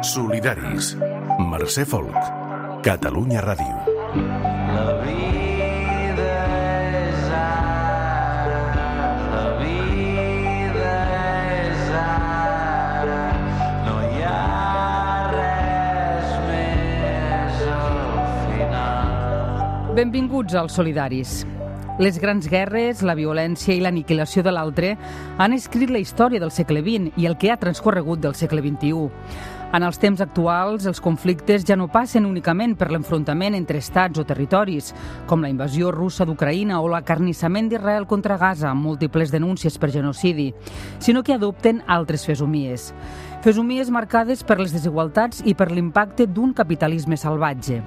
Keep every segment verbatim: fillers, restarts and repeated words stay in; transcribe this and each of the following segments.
Solidaris. Mercè Folk. Catalunya Ràdio. La vida és ara, la vida és ara, no hi ha res més al final. Benvinguts als Solidaris. Les grans guerres, la violència i l'aniquilació de l'altre han escrit la història del segle vint i el que ha transcorregut del segle vint-i-u. En els temps actuals, els conflictes ja no passen únicament per l'enfrontament entre estats o territoris, com la invasió russa d'Ucraïna o l'acarnissament d'Israel contra Gaza, amb múltiples denúncies per genocidi, sinó que adopten altres fesomies. Fesomies marcades per les desigualtats i per l'impacte d'un capitalisme salvatge.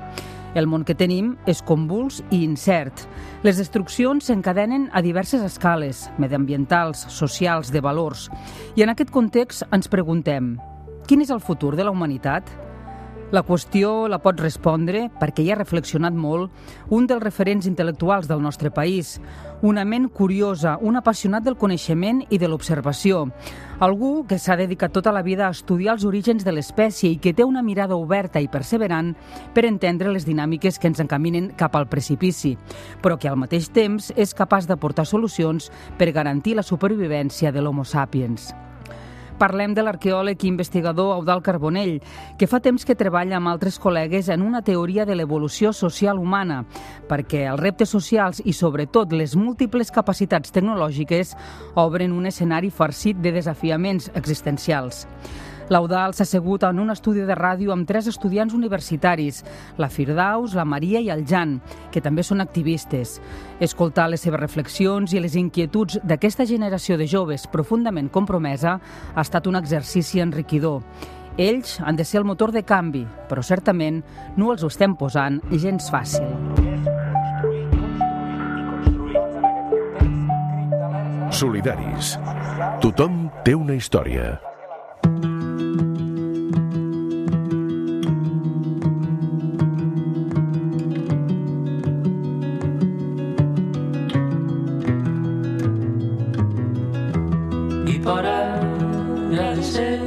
El món que tenim és convuls i incert. Les destruccions s'encadenen a diverses escales, mediambientals, socials, de valors. I en aquest context ens preguntem: quin és el futur de la humanitat? La qüestió la pot respondre, perquè hi ha reflexionat molt, un dels referents intel·lectuals del nostre país, una ment curiosa, un apassionat del coneixement i de l'observació, algú que s'ha dedicat tota la vida a estudiar els orígens de l'espècie i que té una mirada oberta i perseverant per entendre les dinàmiques que ens encaminen cap al precipici, però que al mateix temps és capaç d'aportar solucions per garantir la supervivència de l'Homo sapiens. Parlem de l'arqueòleg i investigador Eudald Carbonell, que fa temps que treballa amb altres col·legues en una teoria de l'evolució social humana, perquè els reptes socials i, sobretot, les múltiples capacitats tecnològiques obren un escenari farcit de desafiaments existencials. L'Eudald s'ha assegut en un estudi de ràdio amb tres estudiants universitaris, la Firdaus, la Maria i el Jan, que també són activistes. Escoltar les seves reflexions i les inquietuds d'aquesta generació de joves profundament compromesa ha estat un exercici enriquidor. Ells han de ser el motor de canvi, però certament no els ho estem posant gens fàcil. Solidaris. Tothom té una història. Por agradecer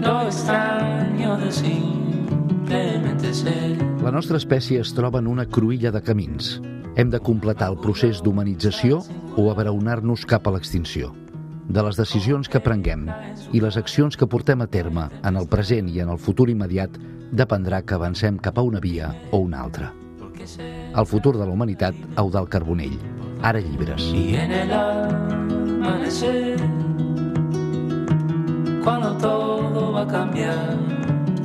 lo extraño de simplemente ser. La nostra espècie es troba en una cruïlla de camins. Hem de completar el procés d'humanització o abraonar-nos cap a l'extinció. De les decisions que prenguem i les accions que portem a terme en el present i en el futur immediat dependrà que avancem cap a una via o una altra. El futur de la humanitat, Eudald Carbonell. Ara llibres. Y en el amanecer, cuando todo va a cambiar,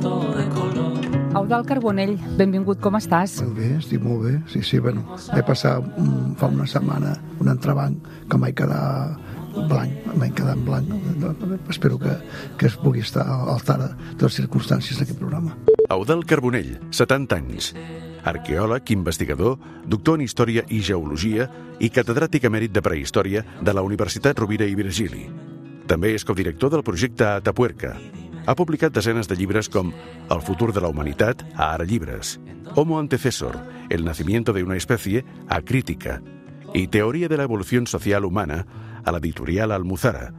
todo de color. Eudald Carbonell, benvingut, com estàs? Molt bé, estic molt bé. Sí, sí, bueno, vaig passar um, fa una setmana un entrebanc que em vaig quedar blanc, em vaig quedar en blanc. Espero que, que es pugui estar a l'altara de les circumstàncies d'aquest programa. Eudald Carbonell, setanta anys. Arqueòleg, investigador, doctor en Història i Geologia i catedràtic emèrit de Prehistòria de la Universitat Rovira i Virgili. També és codirector del projecte Atapuerca. Ha publicat desenes de llibres com El futur de la humanitat, a Ara llibres, Homo antecessor, El nacimiento de una especie, a Crítica, i Teoria de la evolución social humana, a l'editorial Almuzara.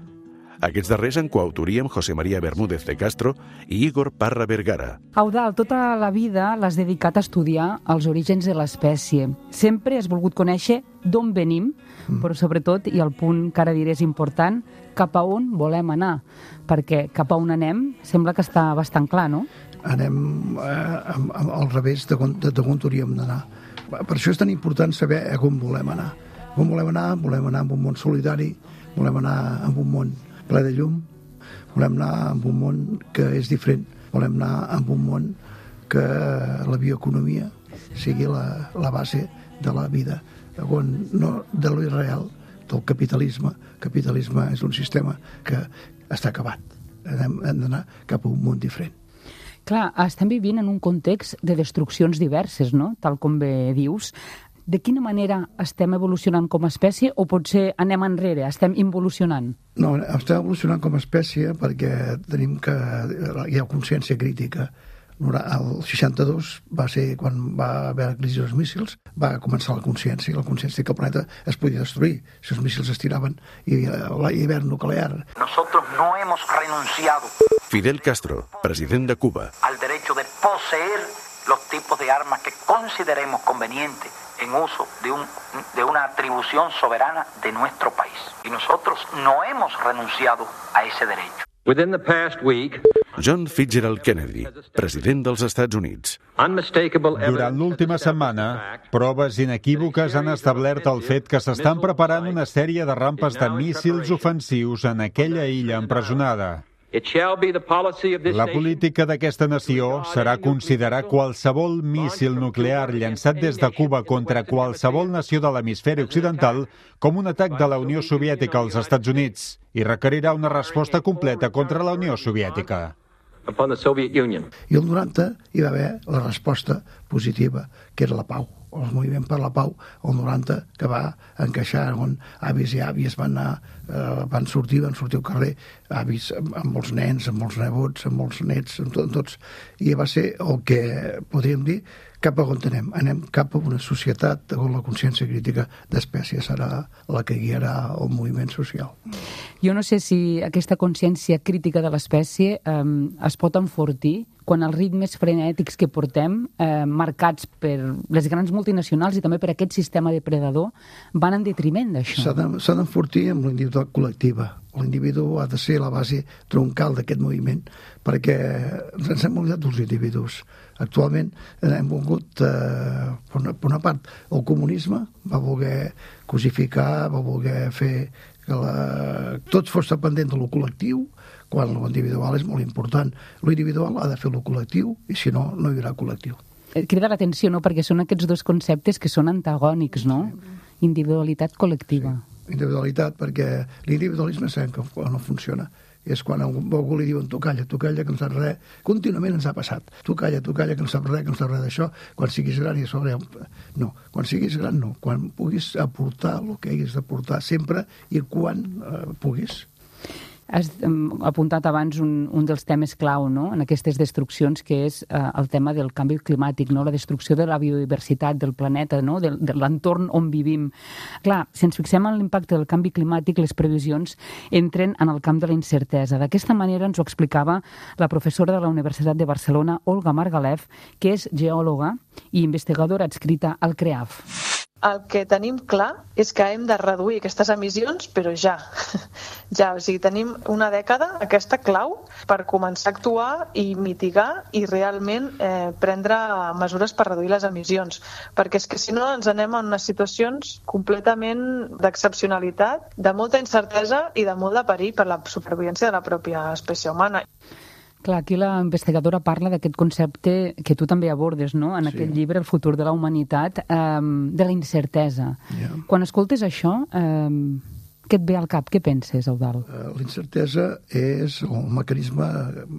Aquests darrers en coautoria amb José María Bermúdez de Castro i Igor Parra Vergara. Eudald, tota la vida l'has dedicat a estudiar els orígens de l'espècie. Sempre has volgut conèixer d'on venim, mm. però sobretot, i el punt que ara diré és important, cap a on volem anar. Perquè cap a on anem sembla que està bastant clar, no? Anem eh, al revés de, de, de on hauríem d'anar. Per això és tan important saber a on volem anar. On volem anar? Volem anar amb un món solidari, volem anar amb un món ple de llum, volem anar amb un món que és diferent, volem anar amb un món que la bioeconomia sigui la, la base de la vida, on no de lo irreal, del capitalisme. El capitalisme és un sistema que està acabat. Hem, hem d'anar cap a un món diferent. Clar, estem vivint en un context de destruccions diverses, no? Tal com bé dius. De quina manera estem evolucionant com a espècie o potser anem enrere, estem involucionant? No, estem evolucionant com a espècie perquè tenim que... hi ha consciència crítica. El seixanta-dos va ser quan va haver la crisi dels míssils, va començar la consciència, i la consciència que el planeta es podia destruir si els míssils es tiraven i l'hivern nuclear. Nosotros no hemos renunciado. Fidel Castro, president de Cuba. Al derecho de poseer los tipos de armas que consideremos convenientes en uso de, un, de una atribución soberana de nuestro país. Y nosotros no hemos renunciado a ese derecho. Within the past week, John Fitzgerald Kennedy, president dels Estats Units. Durant l'última setmana, proves inequívoques han establert el fet que s'estan preparant una sèrie de rampes de míssils ofensius en aquella illa empresonada. La política d'aquesta nació serà considerar qualsevol míssil nuclear llançat des de Cuba contra qualsevol nació de l'hemisferi occidental com un atac de la Unió Soviètica als Estats Units i requerirà una resposta completa contra la Unió Soviètica. I el noranta hi va haver la resposta positiva, que era la pau. El moviment per la pau, el noranta, que va encaixar on avis i àvies van anar, eh, van sortir, van sortir al carrer, avis amb, amb molts nens, amb molts nebots, amb molts nets, amb, tot, amb tots, i va ser el que podríem dir cap a on anem. Anem cap a una societat on la consciència crítica d'espècie serà la que guiarà el moviment social. Jo no sé si aquesta consciència crítica de l'espècie eh, es pot enfortir quan els ritmes frenètics que portem, eh, marcats per les grans multinacionals i també per aquest sistema depredador, van en detriment d'això. S'ha d'enfortir amb l'individual col·lectiva. L'individu ha de ser la base troncal d'aquest moviment, perquè ens hem oblidat dels individus. Actualment hem volgut, eh, per, una, per una part, el comunisme va voler cosificar, va voler fer que la... tot fos dependent de lo col·lectiu, quan l'individual és molt important. L'individual ha de fer lo col·lectiu i si no, no hi haurà col·lectiu. Crida l'atenció, no?, perquè són aquests dos conceptes que són antagònics, no? Individualitat col·lectiva. Sí. Individualitat, perquè l'individualisme sabem que no funciona. És quan a algú li diuen tu calla, tu calla, que no saps res. Contínuament ens ha passat. Tu calla, tu calla, que no saps res, que no saps res d'això. Quan siguis gran i sobre... No, quan siguis gran no. Quan puguis aportar el que haguis d'aportar sempre i quan eh, puguis. Has um, apuntat abans un, un dels temes clau, no?, en aquestes destruccions, que és uh, el tema del canvi climàtic, no?, la destrucció de la biodiversitat del planeta, no?, de, de l'entorn on vivim. Clar, si ens fixem en l'impacte del canvi climàtic, les previsions entren en el camp de la incertesa. D'aquesta manera ens ho explicava la professora de la Universitat de Barcelona, Olga Margalef, que és geòloga i investigadora adscrita al CREAF. El que tenim clar és que hem de reduir aquestes emissions, però ja. Ja, o sigui, tenim una dècada, aquesta clau, per començar a actuar i mitigar i realment eh, prendre mesures per reduir les emissions. Perquè és que si no ens anem en unes situacions completament d'excepcionalitat, de molta incertesa i de molt de perill per la supervivència de la pròpia espècie humana. Clar, aquí la investigadora parla d'aquest concepte que tu també abordes, no?, en sí. aquest llibre, El futur de la humanitat, eh, de la incertesa. Yeah. Quan escoltes això, eh, què et ve al cap? Què penses, Eudald? Uh, la incertesa és el mecanisme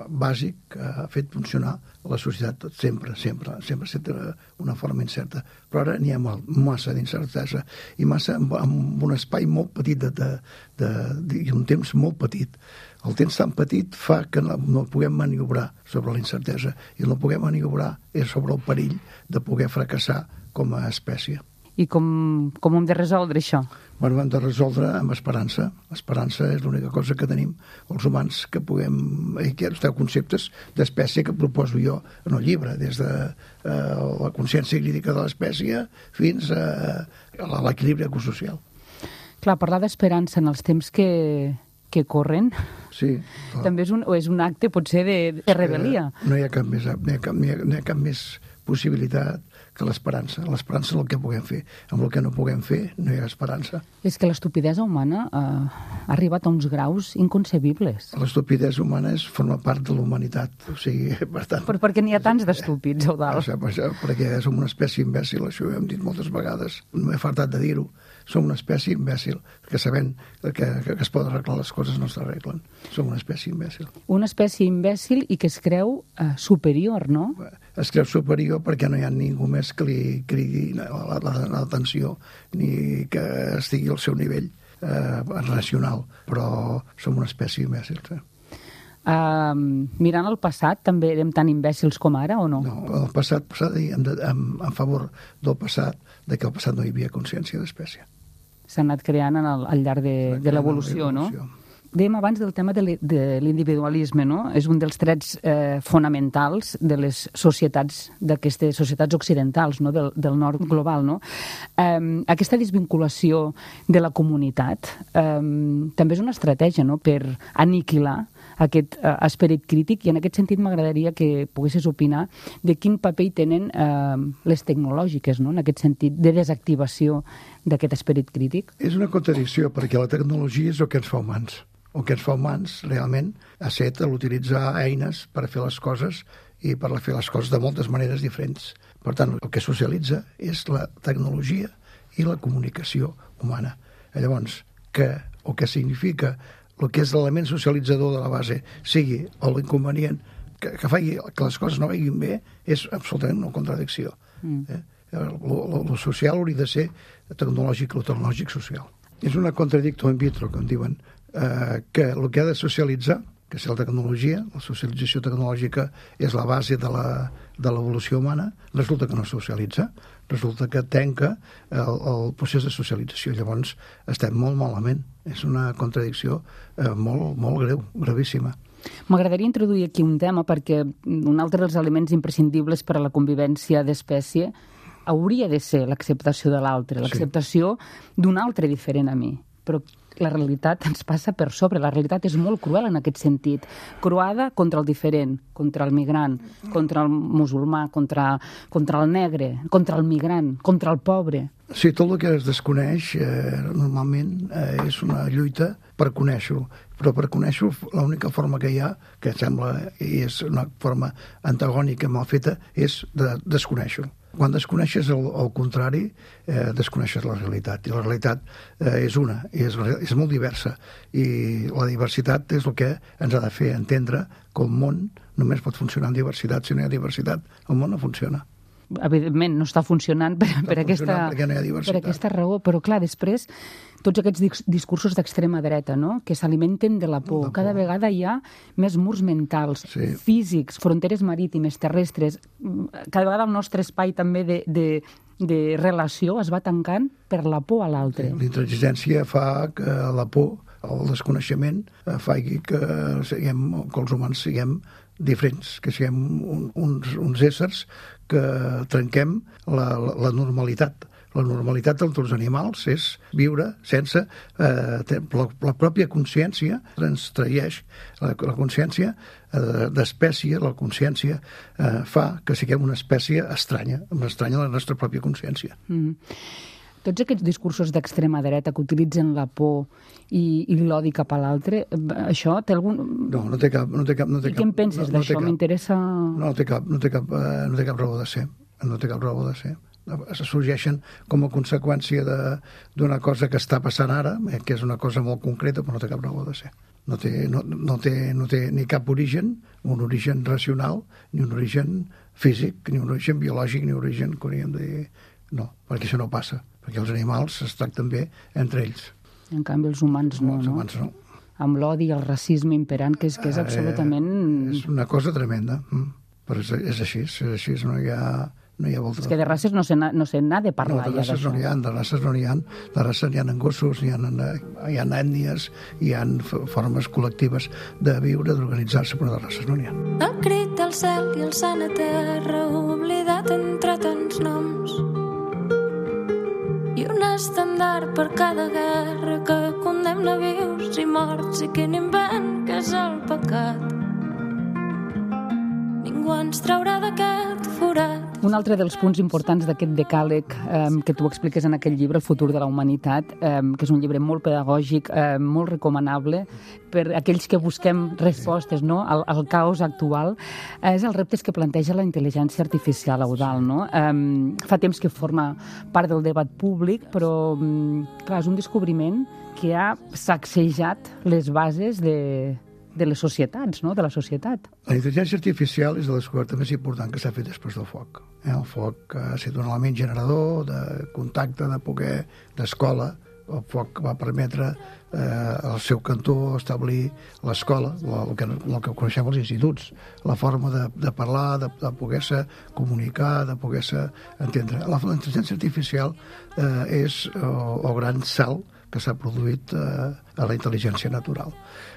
bàsic que ha fet funcionar la societat sempre, sempre, sempre sempre una forma incerta. Però ara n'hi ha massa d'incertesa i massa amb, amb un espai molt petit de, de, de, de, i un temps molt petit. El temps tan petit fa que no, no puguem maniobrar sobre la incertesa i no puguem maniobrar és sobre el perill de poder fracassar com a espècie. I com, com hem de resoldre això? Bueno, hem de resoldre amb esperança. L'esperança és l'única cosa que tenim els humans que puguem... Aquests conceptes d'espècie que proposo jo en el llibre, des de eh, la consciència crítica de l'espècie fins a, a l'equilibri ecosocial. Clar, parlar d'esperança en els temps que, que corren sí, també és un, és un acte, potser, de, de rebel·lia. No hi ha cap més, no hi ha cap, no hi ha, no hi ha cap més possibilitat que l'esperança. L'esperança és el que puguem fer. Amb el que no puguem fer no hi ha esperança. És que l'estupidesa humana eh, ha arribat a uns graus inconcebibles. L'estupidesa humana és, forma part de la humanitat. O sigui, per tant... Però per què n'hi ha tants d'estúpids, Eudald? O sigui, perquè som una espècie imbècil, això ho hem dit moltes vegades. No m'he fartat de dir-ho. Som una espècie imbècil, que sabem que, que, que es poden arreglar les coses no s'arreglen. Som una espècie imbècil. Una espècie imbècil i que es creu eh, superior, no? Es creu superior perquè no hi ha ningú més que li cridi l'atenció ni que estigui al seu nivell eh, racional, però som una espècie imbècil. Eh? Uh, mirant el passat, també érem tan imbècils com ara, o no? No, el passat, passat en, en, en favor del passat, de que al passat no hi havia consciència d'espècie. S'ha anat creant en el, al llarg de, de l'evolució, no? Dèiem abans del tema de l'individualisme, no? És un dels trets eh, fonamentals de les societats, d'aquestes societats occidentals, no? del, del nord global, no? Eh, aquesta desvinculació de la comunitat eh, també és una estratègia, no? Per aniquilar aquest eh, esperit crític, i en aquest sentit m'agradaria que poguessis opinar de quin paper hi tenen eh, les tecnològiques, no? En aquest sentit de desactivació d'aquest esperit crític. És una contradicció, perquè la tecnologia és el que ens fa humans. El que ens fa humans, realment, ha estat l'utilitzar eines per fer les coses i per fer les coses de moltes maneres diferents. Per tant, el que socialitza és la tecnologia i la comunicació humana. Llavors, que el que significa el que és l'element socialitzador de la base sigui l'inconvenient que, que faci que les coses no vagin bé, és absolutament una contradicció. Mm. Eh? El social hauria de ser tecnològic, el tecnològic social. És una contradictio in vitro, com diuen, eh, que el que ha de socialitzar, que és la tecnologia, la socialització tecnològica és la base de la, de l'evolució humana, resulta que no socialitza, resulta que tanca el, el procés de socialització. Llavors estem molt malament. És una contradicció eh, molt, molt greu, gravíssima. M'agradaria introduir aquí un tema perquè un altre dels elements imprescindibles per a la convivència d'espècie hauria de ser l'acceptació de l'altre, l'acceptació sí. d'un altre diferent a mi. Però la realitat ens passa per sobre. La realitat és molt cruel en aquest sentit. Croada contra el diferent, contra el migrant, contra el musulmà, contra, contra el negre, contra el migrant, contra el pobre. Sí, tot el que es desconeix eh, normalment eh, és una lluita per conèixer-ho. Però per conèixer-ho, l'única forma que hi ha, que sembla i és una forma antagònica mal feta, és de desconèixer-ho. Quan desconeixes el, el contrari, eh, desconeixes la realitat. I la realitat eh, és una, i és, és molt diversa. I la diversitat és el que ens ha de fer entendre que el món només pot funcionar en diversitat. Si no hi ha diversitat, el món no funciona. Evidentment, no està funcionant per, està per, aquesta, no per aquesta raó, però clar, després tots aquests discursos d'extrema dreta, no?, que s'alimenten de la por. Cada vegada hi ha més murs mentals, sí. físics, fronteres marítimes, terrestres. Cada vegada el nostre espai també de, de, de relació es va tancant per la por a l'altre. Sí, l'intransigència fa que la por, el desconeixement, faci que, siguem, que els humans siguem diferents, que siguem un, uns, uns éssers que trenquem la, la, la normalitat. La normalitat dels els animals és viure sense... Eh, la, la pròpia consciència ens traeix, la, la consciència eh, d'espècie, la consciència eh, fa que siguem una espècie estranya, una estranya a la nostra pròpia consciència. Mm. Tots aquests discursos d'extrema dreta que utilitzen la por i, i l'odi cap a l'altre, això té algun... No, no té cap... No té cap no té I què en penses no, no d'això? M'interessa... No, no té cap, no té cap, eh, no té cap raó de ser. No té cap raó de ser. Sorgeixen com a conseqüència d'una cosa que està passant ara, eh, que és una cosa molt concreta, però no té cap raó de ser. No té, no, no té, no té ni cap origen, un origen racional, ni un origen físic, ni un origen biològic, ni un origen que hauríem de dir... No, perquè això no passa. Perquè els animals es tracten bé entre ells. En canvi, els humans no, els no? humans no. Amb l'odi i el racisme imperant, que és, que és absolutament... Eh, és una cosa tremenda, però és, és així, és així, no hi ha... No hi ha volta. És que de races no se no se n'ha de parlar. No, de races ja no n'hi ha, de races no n'hi ha. De races n'hi ha en gossos, n'hi ha, hi ha ètnies, hi ha formes col·lectives de viure, d'organitzar-se, però de races no n'hi ha. El crit del cel i el sant a terra, oblidat entre tants noms. I un estendard per cada guerra que condemna vius i morts i quin invent que és el pecat. Ningú ens traurà d'aquest forat. Un altre dels punts importants d'aquest decàleg eh, que tu expliques en aquest llibre, El futur de la humanitat, eh, que és un llibre molt pedagògic, eh, molt recomanable per aquells que busquem respostes, no?, al, al caos actual, eh, és els reptes que planteja la intel·ligència artificial, Eudald, no? Eh, fa temps que forma part del debat públic, però clar, és un descobriment que ha sacsejat les bases de... de les societats, no?, de la societat. La intel·ligència artificial és la descoberta més important que s'ha fet després del foc. Eh? El foc ha estat un element generador de contacte, de poder, d'escola. El foc va permetre eh, al seu cantó establir l'escola, el que, el que coneixem els instituts, la forma de, de parlar, de, de poder-se comunicar, de poder-se entendre. La, la intel·ligència artificial eh, és el, el gran salt que s'ha produït eh, a la intel·ligència natural.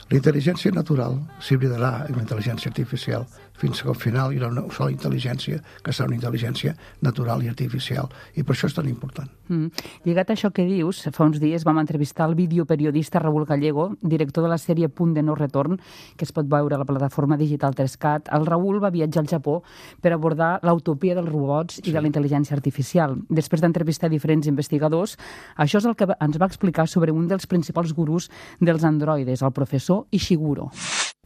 La intel·ligència natural s'hibridarà amb la intel·ligència artificial fins que al final hi haurà una sola intel·ligència, que serà una intel·ligència natural i artificial, i per això és tan important. Mm. Lligat a això que dius, fa uns dies vam entrevistar el videoperiodista Raúl Gallego, director de la sèrie Punt de no retorn, que es pot veure a la plataforma digital tres cat. El Raúl va viatjar al Japó per abordar l'utopia dels robots i sí. de la intel·ligència artificial. Després d'entrevistar diferents investigadors, això és el que ens va explicar sobre un dels principals gurús dels androides, el professor Ishiguro.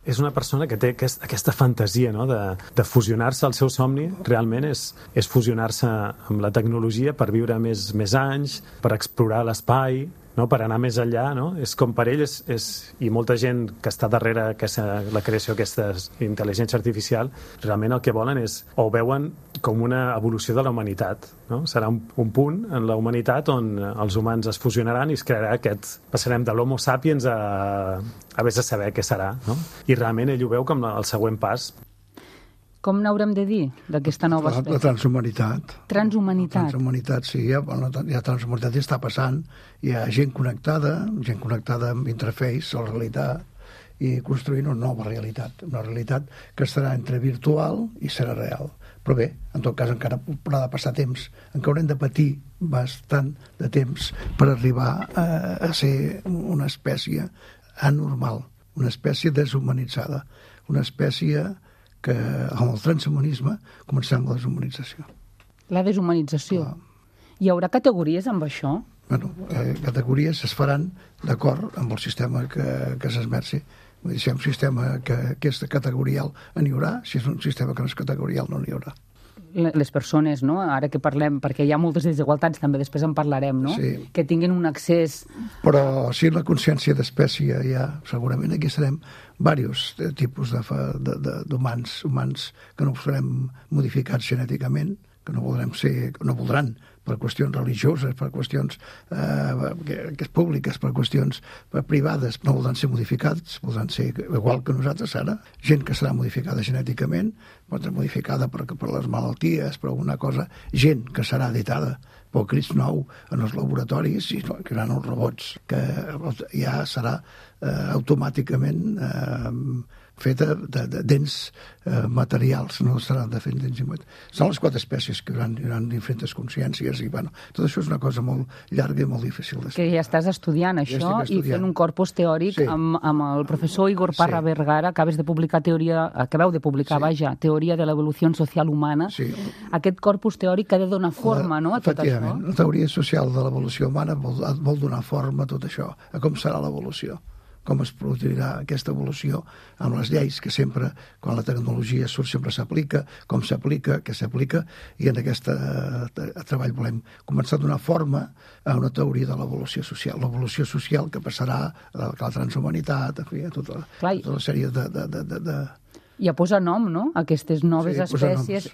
És una persona que té aquest, aquesta fantasia, no?, de, de fusionar-se. El seu somni realment és, és fusionar-se amb la tecnologia per viure més, més anys, per explorar l'espai, no?, per anar més enllà, no? És com per ell, és, és, i molta gent que està darrere aquesta, la creació d'aquesta intel·ligència artificial, realment el que volen és, o veuen com una evolució de la humanitat, no? Serà un, un punt en la humanitat on els humans es fusionaran i es crearà aquest... Passarem de l'homo sapiens a, a vés a saber què serà, no? I realment ell ho veu com el següent pas. Com n'haurem de dir, d'aquesta nova espècie? La, la transhumanitat. Transhumanitat. La transhumanitat, sí, ja, bueno, ja transhumanitat ja està passant. Hi ha gent connectada, gent connectada amb interface, a la realitat, i construint una nova realitat, una realitat que estarà entre virtual i serà real. Però bé, en tot cas encara haurà de passar temps, encara haurem de patir bastant de temps per arribar a, a ser una espècie anormal, una espècie deshumanitzada, una espècie que amb el transhumanisme començarem la deshumanització. La deshumanització. Clar. Hi haurà categories amb això? Bueno, eh, categories es faran d'acord amb el sistema que, que s'esmerci. Vull dir, si hi ha un sistema que, que és categorial, n'hi haurà. Si és un sistema que no és categorial, no n'hi haurà. Les persones, no?, ara que parlem, perquè hi ha moltes desigualtats, també després en parlarem, no?, sí. Que tinguin un accés... Però si la consciència d'espècie hi ha, segurament aquí serem diversos tipus d'humans, humans que no serem modificats genèticament, que no voldrem ser, no voldran, per qüestions religioses, per qüestions eh, que, que públiques, per qüestions privades, no voldran ser modificats, voldran ser igual que nosaltres ara. Gent que serà modificada genèticament, pot ser modificada per, per les malalties, per alguna cosa. Gent que serà editada pel Crist nou en els laboratoris i que seran els robots, que ja serà eh, automàticament eh, feta de, de dents eh, materials, no seran de fet dents materials. Són les quatre espècies que hi haurà, hi haurà diferents consciències i, bueno, tot això és una cosa molt llarga i molt difícil d'explicar. Que ja estàs estudiant això ja estudiant. I fent un corpus teòric sí. amb, amb el professor Igor Parra sí. Vergara, acabes de publicar teoria, acabeu de publicar, sí. vaja, Teoria de l'evolució social humana. Sí. Aquest corpus teòric que ha de donar forma, la, no?, a tot això. Efectivament, la teoria social de l'evolució humana vol, vol donar forma a tot això, a com serà l'evolució, com es produirà aquesta evolució amb les lleis que sempre, quan la tecnologia surt, sempre s'aplica, com s'aplica, què s'aplica, i en aquest treball volem començar a donar forma a una teoria de l'evolució social. L'evolució social que passarà a la transhumanitat, a, fi, a tota, Clar, tota la sèrie de... de, de, de, de... I a posar nom, no?, a aquestes noves sí, espècies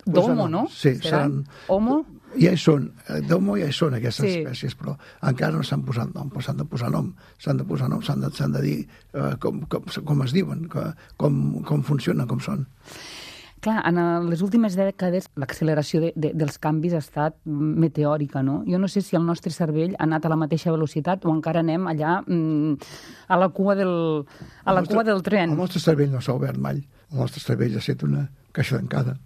d'homo, no? Sí, seran... Homo? Ja hi són, d'homo ja hi són aquestes sí. espècies, però encara no s'han posat nom, però s'han de posar nom, s'han de posar nom, s'han de, s'han de dir uh, com, com, com es diuen, com, com funcionen, com són. Clar, en les últimes dècades l'acceleració de, de, dels canvis ha estat meteòrica, no? Jo no sé si el nostre cervell ha anat a la mateixa velocitat o encara anem allà mm, a la cua del, a la nostre, cua del tren. El nostre cervell no s'ha obert mai. El nostre cervell ha estat una caixa tancada,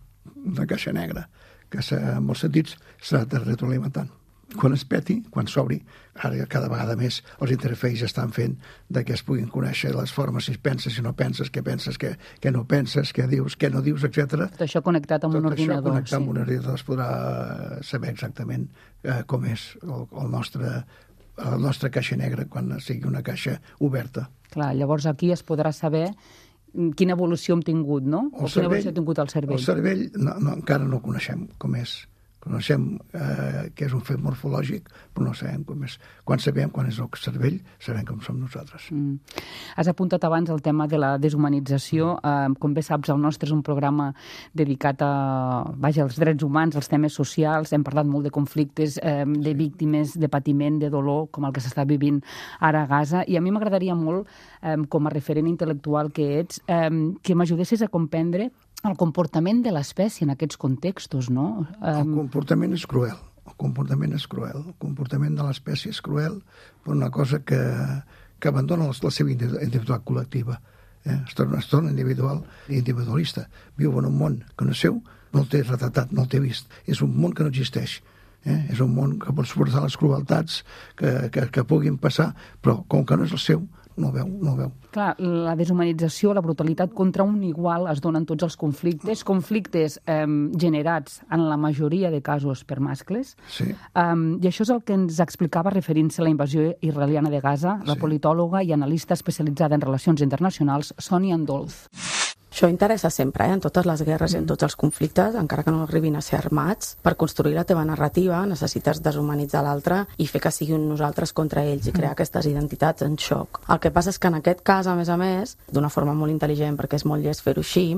una caixa negra, que en molts sentits s'ha de retroalimentant. Quan es peti, quan s'obri, ara cada vegada més els interfaces estan fent de que es puguin conèixer les formes, si penses, si no penses, què penses, què, què no penses, què dius, què no dius, etcètera. Tot això connectat amb Tot un ordinador. Tot això connectat sí. amb un ordinador es podrà saber exactament eh, com és el, el nostre, la nostra caixa negra quan sigui una caixa oberta. Clar, llavors aquí es podrà saber quina evolució hem tingut, no? El o cervell, quina evolució ha tingut el cervell. El cervell no, no, encara no coneixem com és. Coneixem eh, que és un fet morfològic, però no sabem com és. Quan sabem quan és el cervell, sabem com som nosaltres. Mm. Has apuntat abans el tema de la deshumanització. Mm. Eh, com bé saps, el nostre és un programa dedicat a, vaja, als drets humans, als temes socials. Hem parlat molt de conflictes, eh, de sí. víctimes, de patiment, de dolor, com el que s'està vivint ara a Gaza. I a mi m'agradaria molt, eh, com a referent intel·lectual que ets, eh, que m'ajudessis a comprendre el comportament de l'espècie en aquests contextos, no? El comportament és cruel. El comportament és cruel. El comportament de l'espècie és cruel per una cosa que, que abandonen la seva individualitat col·lectiva. Eh? Es, torna, es torna individual i individualista. Viu en un món que no és seu, no el té retratat, no el té vist. És un món que no existeix. Eh? És un món que pot suportar les crueltats que, que, que puguin passar, però com que no és el seu, no veu, no veu. Clar, la deshumanització, la brutalitat contra un igual es donen tots els conflictes, conflictes eh, generats en la majoria de casos per mascles. Sí. Um, I això és el que ens explicava referint-se a la invasió israeliana de Gaza, la sí. politòloga i analista especialitzada en relacions internacionals, Sònia Andolz. Això interessa sempre, eh? En totes les guerres i en tots els conflictes, encara que no arribin a ser armats. Per construir la teva narrativa necessites deshumanitzar l'altre i fer que sigui un nosaltres contra ells i crear aquestes identitats en xoc. El que passa és que en aquest cas, a més a més, d'una forma molt intel·ligent, perquè és molt llest fer-ho així,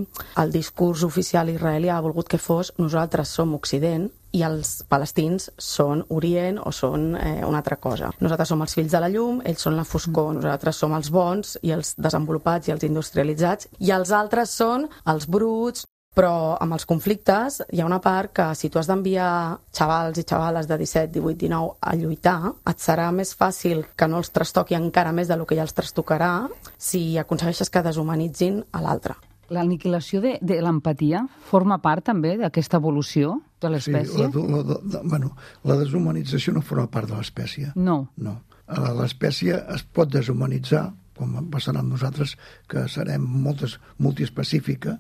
el discurs oficial israelià ha volgut que fos nosaltres som Occident i els palestins són Orient o són eh, una altra cosa. Nosaltres som els fills de la llum, ells són la foscor, nosaltres som els bons i els desenvolupats i els industrialitzats, i els altres són els bruts. Però amb els conflictes hi ha una part que si tu has d'enviar xavals i xavales de disset, divuit, dinou a lluitar, et serà més fàcil que no els trastoqui encara més del que ja els trastocarà si aconsegueixes que deshumanitzin a l'altre. L'aniquilació de, de l'empatia forma part també d'aquesta evolució de l'espècie? Sí, la, la, la, bueno, la deshumanització no forma part de l'espècie. No. No. L'espècie es pot deshumanitzar, com passarà amb nosaltres, que serem moltes, multiespecífica,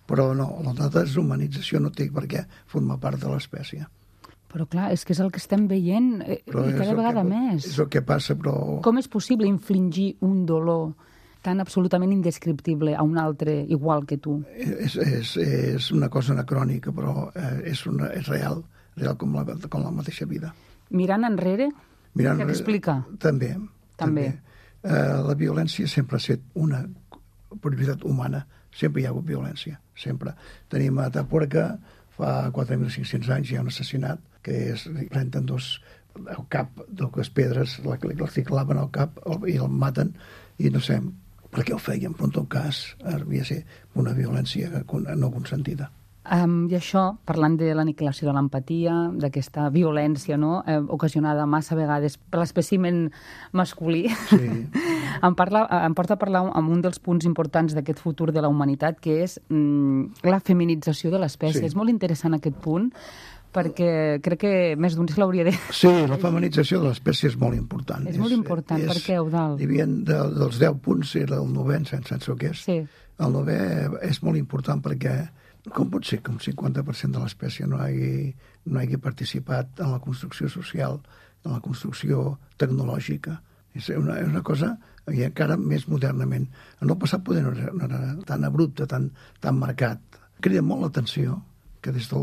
però no, la deshumanització no té per què formar part de l'espècie. Però clar, és que és el que estem veient eh, i cada vegada que, més. És el que passa, però... Com és possible infligir un dolor tan absolutament indescriptible a un altre igual que tu? És, és, és una cosa anacrònica, però és, una, és real, real com la, com la mateixa vida. Mirant enrere, Mirant què explica? També. També. també. Uh, la violència sempre ha estat una prioritat humana. Sempre hi ha hagut violència, sempre. Tenim a Atapuerca, fa quatre mil cinc-cents anys, hi ha un assassinat que és, prenen dos el cap, dues pedres, els claven al cap i el maten, i no sé per què ho feien, però en tot cas havia de ser una violència no consentida. Um, I això, parlant de l'aniquilació de l'empatia, d'aquesta violència, no?, eh, ocasionada massa vegades per l'espècimen masculí, sí. em, parla, em porta a parlar amb un dels punts importants d'aquest futur de la humanitat, que és mm, la feminització de l'espècie. Sí. És molt interessant aquest punt, perquè crec que més d'un se l'hauria de... Sí, la feminització de l'espècie és molt important. És, és molt important, és, per què, Eudald? Hi havia de, dels deu punts, era el novè, sense sense què és. Sí. El novè és molt important perquè com pot ser que un cinquanta per cent de l'espècie no hagi, no hagi participat en la construcció social, en la construcció tecnològica? És una, és una cosa, i encara més modernament. En el passat poder no era, no era tan abrupte, tan, tan marcat. Crida molt l'atenció que des de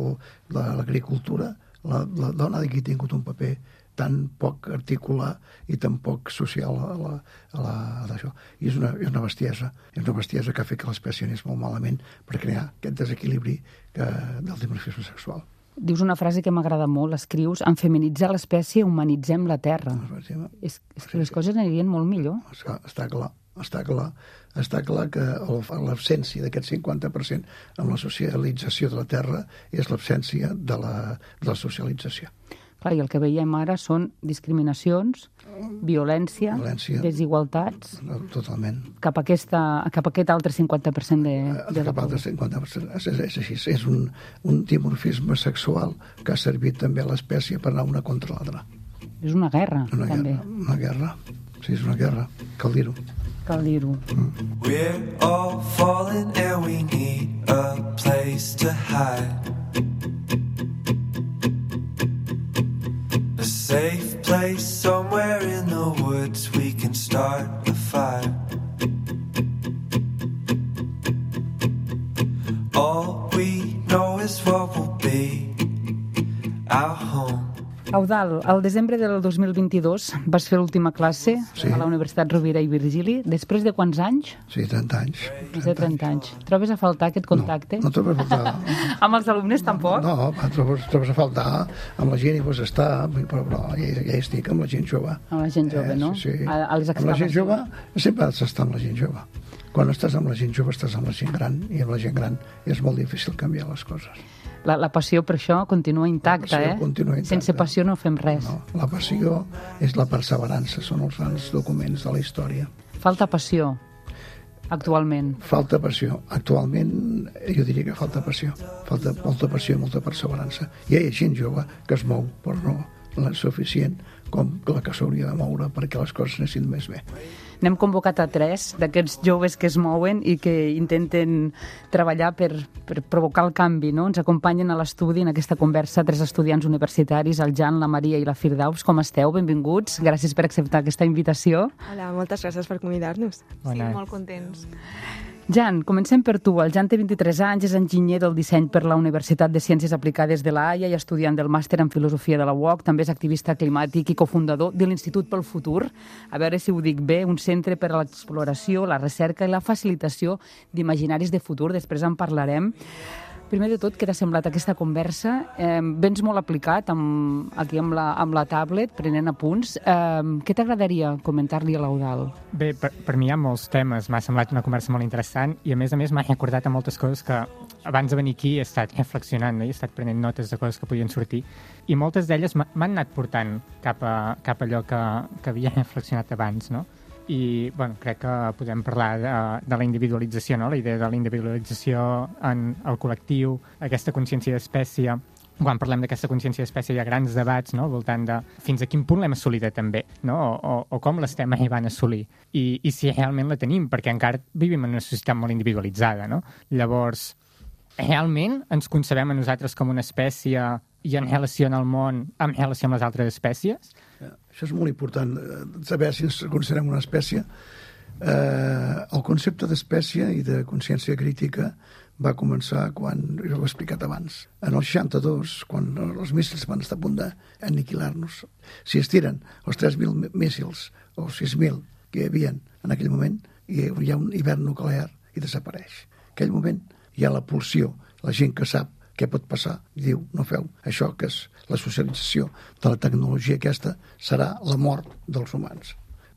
l'agricultura la, la dona hagi tingut un paper tan poc articular i tan poc social a la, a la, a això. I és una, és una bestiesa. És una bestiesa que ha fet que l'espècie anés molt malament per crear aquest desequilibri que, del dimorfisme sexual. Dius una frase que m'agrada molt, escrius, en feminitzar l'espècie humanitzem la Terra. És, és que les coses anirien molt millor. Està, està clar, està clar. Està clar que l'absència d'aquest cinquanta per cent amb la socialització de la Terra és l'absència de la, de la socialització. Clar, i el que veiem ara són discriminacions, violència, violència desigualtats... Totalment. Cap a, aquesta, cap a aquest altre cinquanta per cent de, de cap la altre cinquanta per cent. És, és així. És un, un dimorfisme sexual que ha servit també a l'espècie per anar una contra l'altra. És una guerra, una també. Guerra, una guerra. Sí, és una guerra. Cal dir-ho. Cal dir-ho. Mm. We're all falling and we need a place to hide. A safe place somewhere in the woods we can start a fire. All we know is what will be our home. Eudald, al desembre del dos mil vint-i-dos vas fer l'última classe sí. a la Universitat Rovira i Virgili. Després de quants anys? Sí, trenta anys. Després de trenta anys. Trobes a faltar aquest contacte? No, no trobes a faltar. Amb els alumnes tampoc? No, trobes, trobes a faltar. Amb la gent hi pots estar, però, però ja, ja hi estic, amb la gent jove. Amb la gent jove, eh, no? Sí, sí. A, a les amb la gent jove sempre has d'estar amb la gent jove. quan estàs amb la gent jove estàs amb la gent gran, i amb la gent gran és molt difícil canviar les coses. La, la passió per això continua intacta, eh? Continua intacta. Sense passió no fem res. No, la passió és la perseverança, són els grans documents de la història. Falta passió, actualment. Falta passió. Actualment jo diria que falta passió. Falta molta passió i molta perseverança. Hi ha gent jove que es mou, però no la suficient com la que s'hauria de moure perquè les coses anessin més bé. N'hem convocat a tres d'aquests joves que es mouen i que intenten treballar per, per provocar el canvi, no? Ens acompanyen a l'estudi en aquesta conversa tres estudiants universitaris, el Jan, la Maria i la Firdaus. Com esteu? Benvinguts. Gràcies per acceptar aquesta invitació. Hola, moltes gràcies per convidar-nos. Sí, molt contents. Jan, comencem per tu. El Jan té vint-i-tres anys, és enginyer del disseny per la Universitat de Ciències Aplicades de la Haia i estudiant del màster en filosofia de la U O C. També és activista climàtic i cofundador de l'Institut pel Futur. A veure si ho dic bé, un centre per a l'exploració, la recerca i la facilitació d'imaginaris de futur. Després en parlarem. Primer de tot, què t'ha semblat aquesta conversa? Eh, vens molt aplicat amb, aquí amb la, amb la tablet, prenent apunts. Eh, què t'agradaria comentar-li a l'Eudald? Bé, per, per mi hi ha molts temes. M'ha semblat una conversa molt interessant i, a més a més, m'ha recordat a moltes coses que abans de venir aquí he estat reflexionant, no? He estat prenent notes de coses que podien sortir i moltes d'elles m'han anat portant cap a, cap a allò que, que havia reflexionat abans, no? I bueno, crec que podem parlar de, de la individualització, no? La idea de la individualització en el col·lectiu, aquesta consciència d'espècie. Quan parlem d'aquesta consciència d'espècie hi ha grans debats, no? Al voltant de fins a quin punt l'hem assolida també, no? o, o, o com l'estem arribant a assolir I, i si realment la tenim, perquè encara vivim en una societat molt individualitzada, no? Llavors, realment ens concebem a nosaltres com una espècie i en relació al món en relació amb les altres espècies? Això és molt important, saber si ens considerem una espècie. Eh, el concepte d'espècie i de consciència crítica va començar quan, jo ho he explicat abans, en el seixanta-dos, quan els míssils van estar a punt d'aniquilar-nos. Si es tiren els tres mil míssils o sis mil que hi havia en aquell moment, hi ha un hivern nuclear i desapareix. En aquell moment hi ha la pulsió, la gent que sap què pot passar, i diu, no feu això, que és la socialització de la tecnologia aquesta, serà la mort dels humans.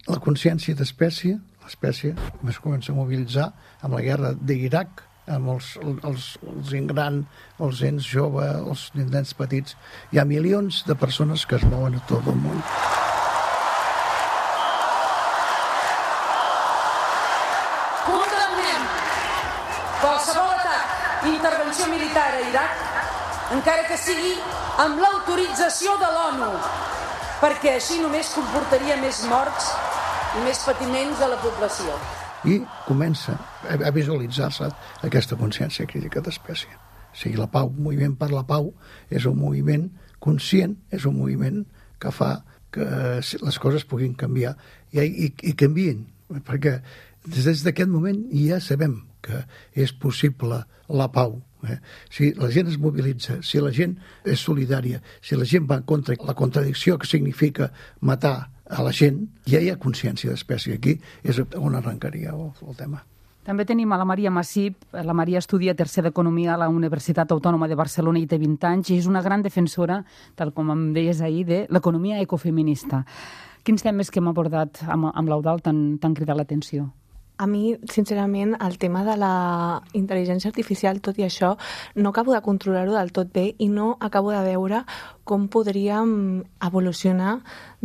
La consciència d'espècie, l'espècie, es comença a mobilitzar amb la guerra d'Iraq, amb els, els, els gent gran, els gens jove, els nens petits. Hi ha milions de persones que es mouen a tot el món. Condemnem qualsevol atac i intervenció militar a Iraq, encara que sigui amb l'autorització de l'ONU, perquè així només comportaria més morts i més patiments a la població. I comença a visualitzar-se aquesta consciència crítica d'espècie. O sigui, la pau, el moviment per la pau, és un moviment conscient, és un moviment que fa que les coses puguin canviar i, i, i canvien, perquè des d'aquest moment ja sabem que és possible la pau. Eh? Si la gent es mobilitza, si la gent és solidària, si la gent va contra la contradicció que significa matar a la gent, ja hi ha consciència d'espècie. Aquí és on arrencaria el, el tema. També tenim a la Maria Massip. La Maria estudia tercer d'Economia a la Universitat Autònoma de Barcelona i té vint anys i és una gran defensora, tal com em deies ahir, de l'economia ecofeminista. Quins temes que hem abordat amb, amb l'Eudald t'han cridat l'atenció? A mi, sincerament, el tema de la intel·ligència artificial, tot i això, no acabo de controlar-ho del tot bé i no acabo de veure com podríem evolucionar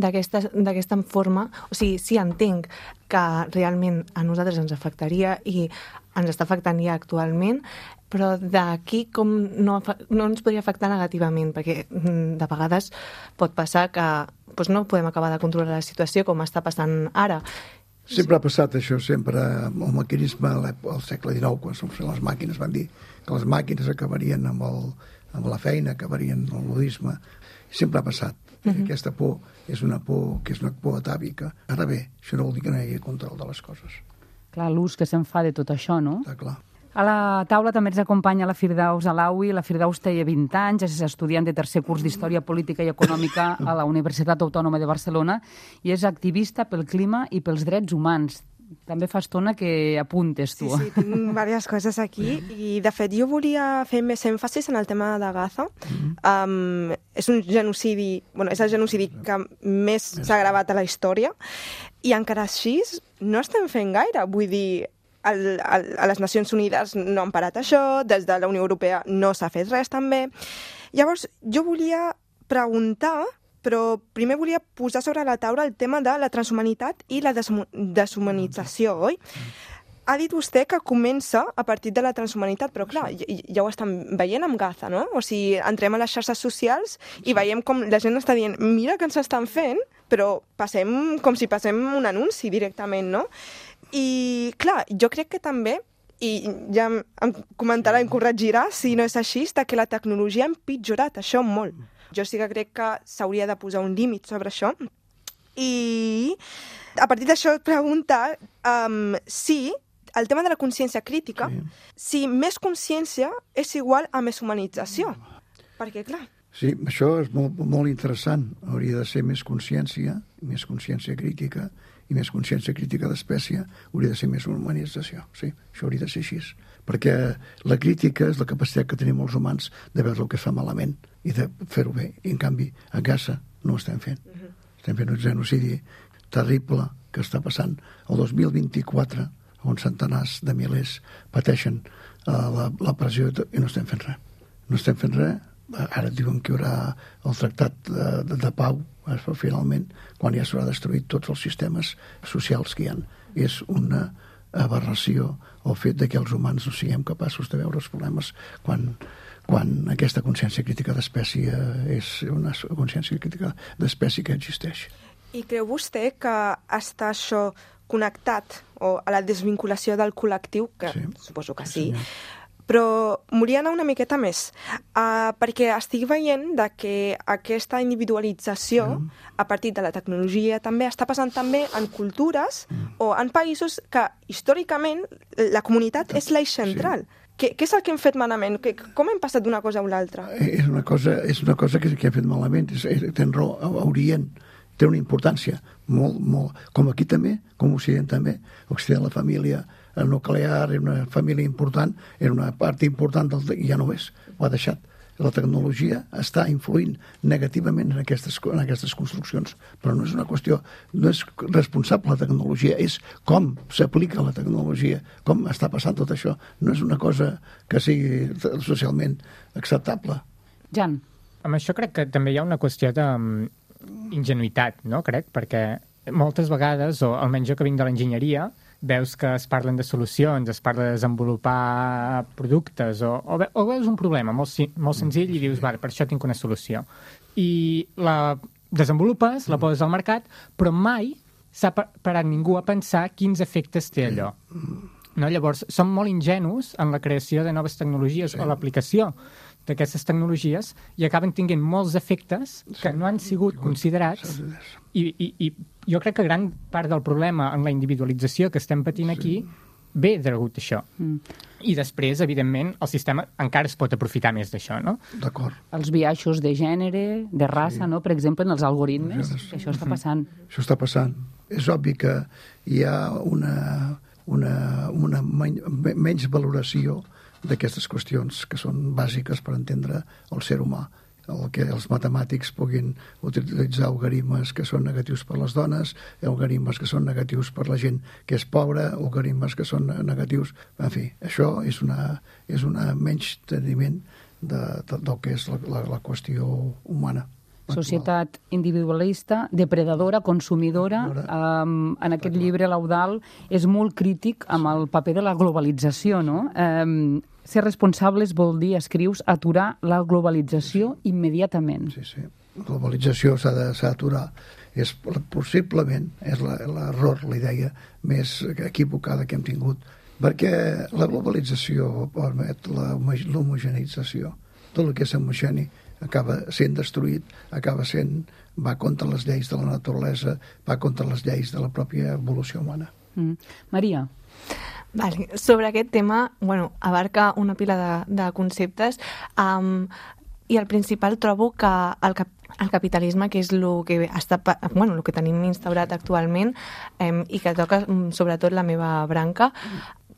d'aquesta forma. O sigui, sí, entenc que realment a nosaltres ens afectaria i ens està afectant ja actualment, però d'aquí com no, no ens podria afectar negativament, perquè de vegades pot passar que doncs no podem acabar de controlar la situació com està passant ara. Sempre ha passat això, sempre. El maquinisme al segle dinou, quan les màquines van dir que les màquines acabarien amb, el, amb la feina, acabarien amb el budisme. Sempre ha passat. Uh-huh. Aquesta por és una por que és una por atàvica. Ara bé, això no vol dir que no hi hagi control de les coses. Clar, l'ús que se'n fa de tot això, no? Està clar. A la taula també ens acompanya la Firdaus Alaoui. La Firdaus té vint anys, és estudiant de tercer curs d'Història Política i Econòmica a la Universitat Autònoma de Barcelona i és activista pel clima i pels drets humans. També fa estona que apuntes, tu. Sí, sí, tinc diverses coses aquí i, de fet, jo volia fer més èmfasis en el tema de Gaza. Um, és un genocidi, bueno, és el genocidi que més s'ha gravat a la història i encara així no estem fent gaire. Vull dir, el, el, a les Nacions Unides no han parat això, des de la Unió Europea no s'ha fet res també. Llavors, jo volia preguntar, però primer volia posar sobre la taula el tema de la transhumanitat i la deshumanització, oi? Ha dit vostè que comença a partir de la transhumanitat, però clar, ja, ja ho estan veient amb Gaza, no? O sigui, entrem a les xarxes socials i veiem com la gent està dient mira que ens estan fent, però passem com si passem un anunci directament, no? I clar, jo crec que també, i ja em comentarà, em corregirà si no és així, que la tecnologia ha empitjorat això molt. Jo sí que crec que s'hauria de posar un límit sobre això. I a partir d'això preguntar um, si el tema de la consciència crítica, sí. si més consciència és igual a més humanització. Perquè, clar... Sí, això és molt, molt interessant. Hauria de ser més consciència, més consciència crítica, i més consciència crítica d'espècie, hauria de ser més humanització. Sí, això hauria de ser així. Perquè la crítica és la capacitat que tenim els humans de veure el que es fa malament i de fer-ho bé. I, en canvi, a Gaza no ho estem fent. Uh-huh. Estem fent un genocidi terrible que està passant el dos mil vint-i-quatre, on centenars de milers pateixen uh, la, la pressió i no estem fent res. No estem fent res. Ara diuen que hi haurà el tractat de, de, de pau, però finalment, quan ja s'haurà destruït tots els sistemes socials que hi ha. És una aberració el fet de que els humans no siguem capaços de veure els problemes quan, quan aquesta consciència crítica d'espècie és una consciència crítica d'espècie que existeix. I creu vostè que està això connectat o a la desvinculació del col·lectiu, que sí, suposo que sí, sí, però m'hauria d'anar una miqueta més, uh, perquè estic veient de que aquesta individualització mm. a partir de la tecnologia també està passant també en cultures mm. o en països que històricament la comunitat és l'eix central. Sí. Què, què és el que hem fet malament? Que, com hem passat d'una cosa a una altra? És una cosa, és una cosa que, que hem fet malament. És, és, ten raó, a Orient té una importància molt, molt... Com aquí també, com a Occident també. A Occident la família nuclear era una família important, era una part important del... i ja no és, ho ha deixat. La tecnologia està influint negativament en aquestes, en aquestes construccions, però no és una qüestió, no és responsable la tecnologia, és com s'aplica la tecnologia, com està passant tot això. No és una cosa que sigui socialment acceptable. Jan. Amb això crec que també hi ha una qüestió d'ingenuïtat, no? Crec, perquè moltes vegades, o almenys jo que vinc de l'enginyeria, veus que es parlen de solucions, es parla de desenvolupar productes, o, o, ve, o veus un problema molt, molt senzill i dius, vale, per això tinc una solució. I la desenvolupes, la poses al mercat, però mai s'ha parat ningú a pensar quins efectes té allò. No? Llavors, som molt ingenus en la creació de noves tecnologies sí. o l'aplicació d'aquestes tecnologies i acaben tinguent molts efectes que no han sigut considerats i, i, i jo crec que gran part del problema en la individualització que estem patint aquí ve degut a això. Mm. I després, evidentment, el sistema encara es pot aprofitar més d'això, no? D'acord. Els biaixos de gènere, de raça, sí. no? Per exemple, en els algoritmes, que això està passant. Això està passant. És obvi que hi ha una, una, una menys valoració d'aquestes qüestions que són bàsiques per entendre el ser humà. El que els matemàtics puguin utilitzar algoritmes que són negatius per les dones, algoritmes que són negatius per la gent que és pobra, algoritmes que són negatius... En fi, això és una, és una menys teniment de, de, del que és la, la, la qüestió humana. Societat individualista, depredadora, consumidora. Um, en aquest llibre, l'Eudald és molt crític amb el paper de la globalització, no? Um, ser responsables vol dir, escrius, aturar la globalització immediatament. Sí, sí. La globalització s'ha d'aturar. És, possiblement, és l'error, la idea més equivocada que hem tingut, perquè la globalització permet l'homogeneïtzació. Tot el que és homogeni acaba sent destruït, acaba sent, va contra les lleis de la naturalesa, va contra les lleis de la pròpia evolució humana. Mm. Maria. Vale. Sobre aquest tema, bueno, abarca una pila de, de conceptes um, i al principal trobo que el, cap, el capitalisme, que és el que, està, bueno, el que tenim instaurat actualment um, i que toca um, sobretot la meva branca,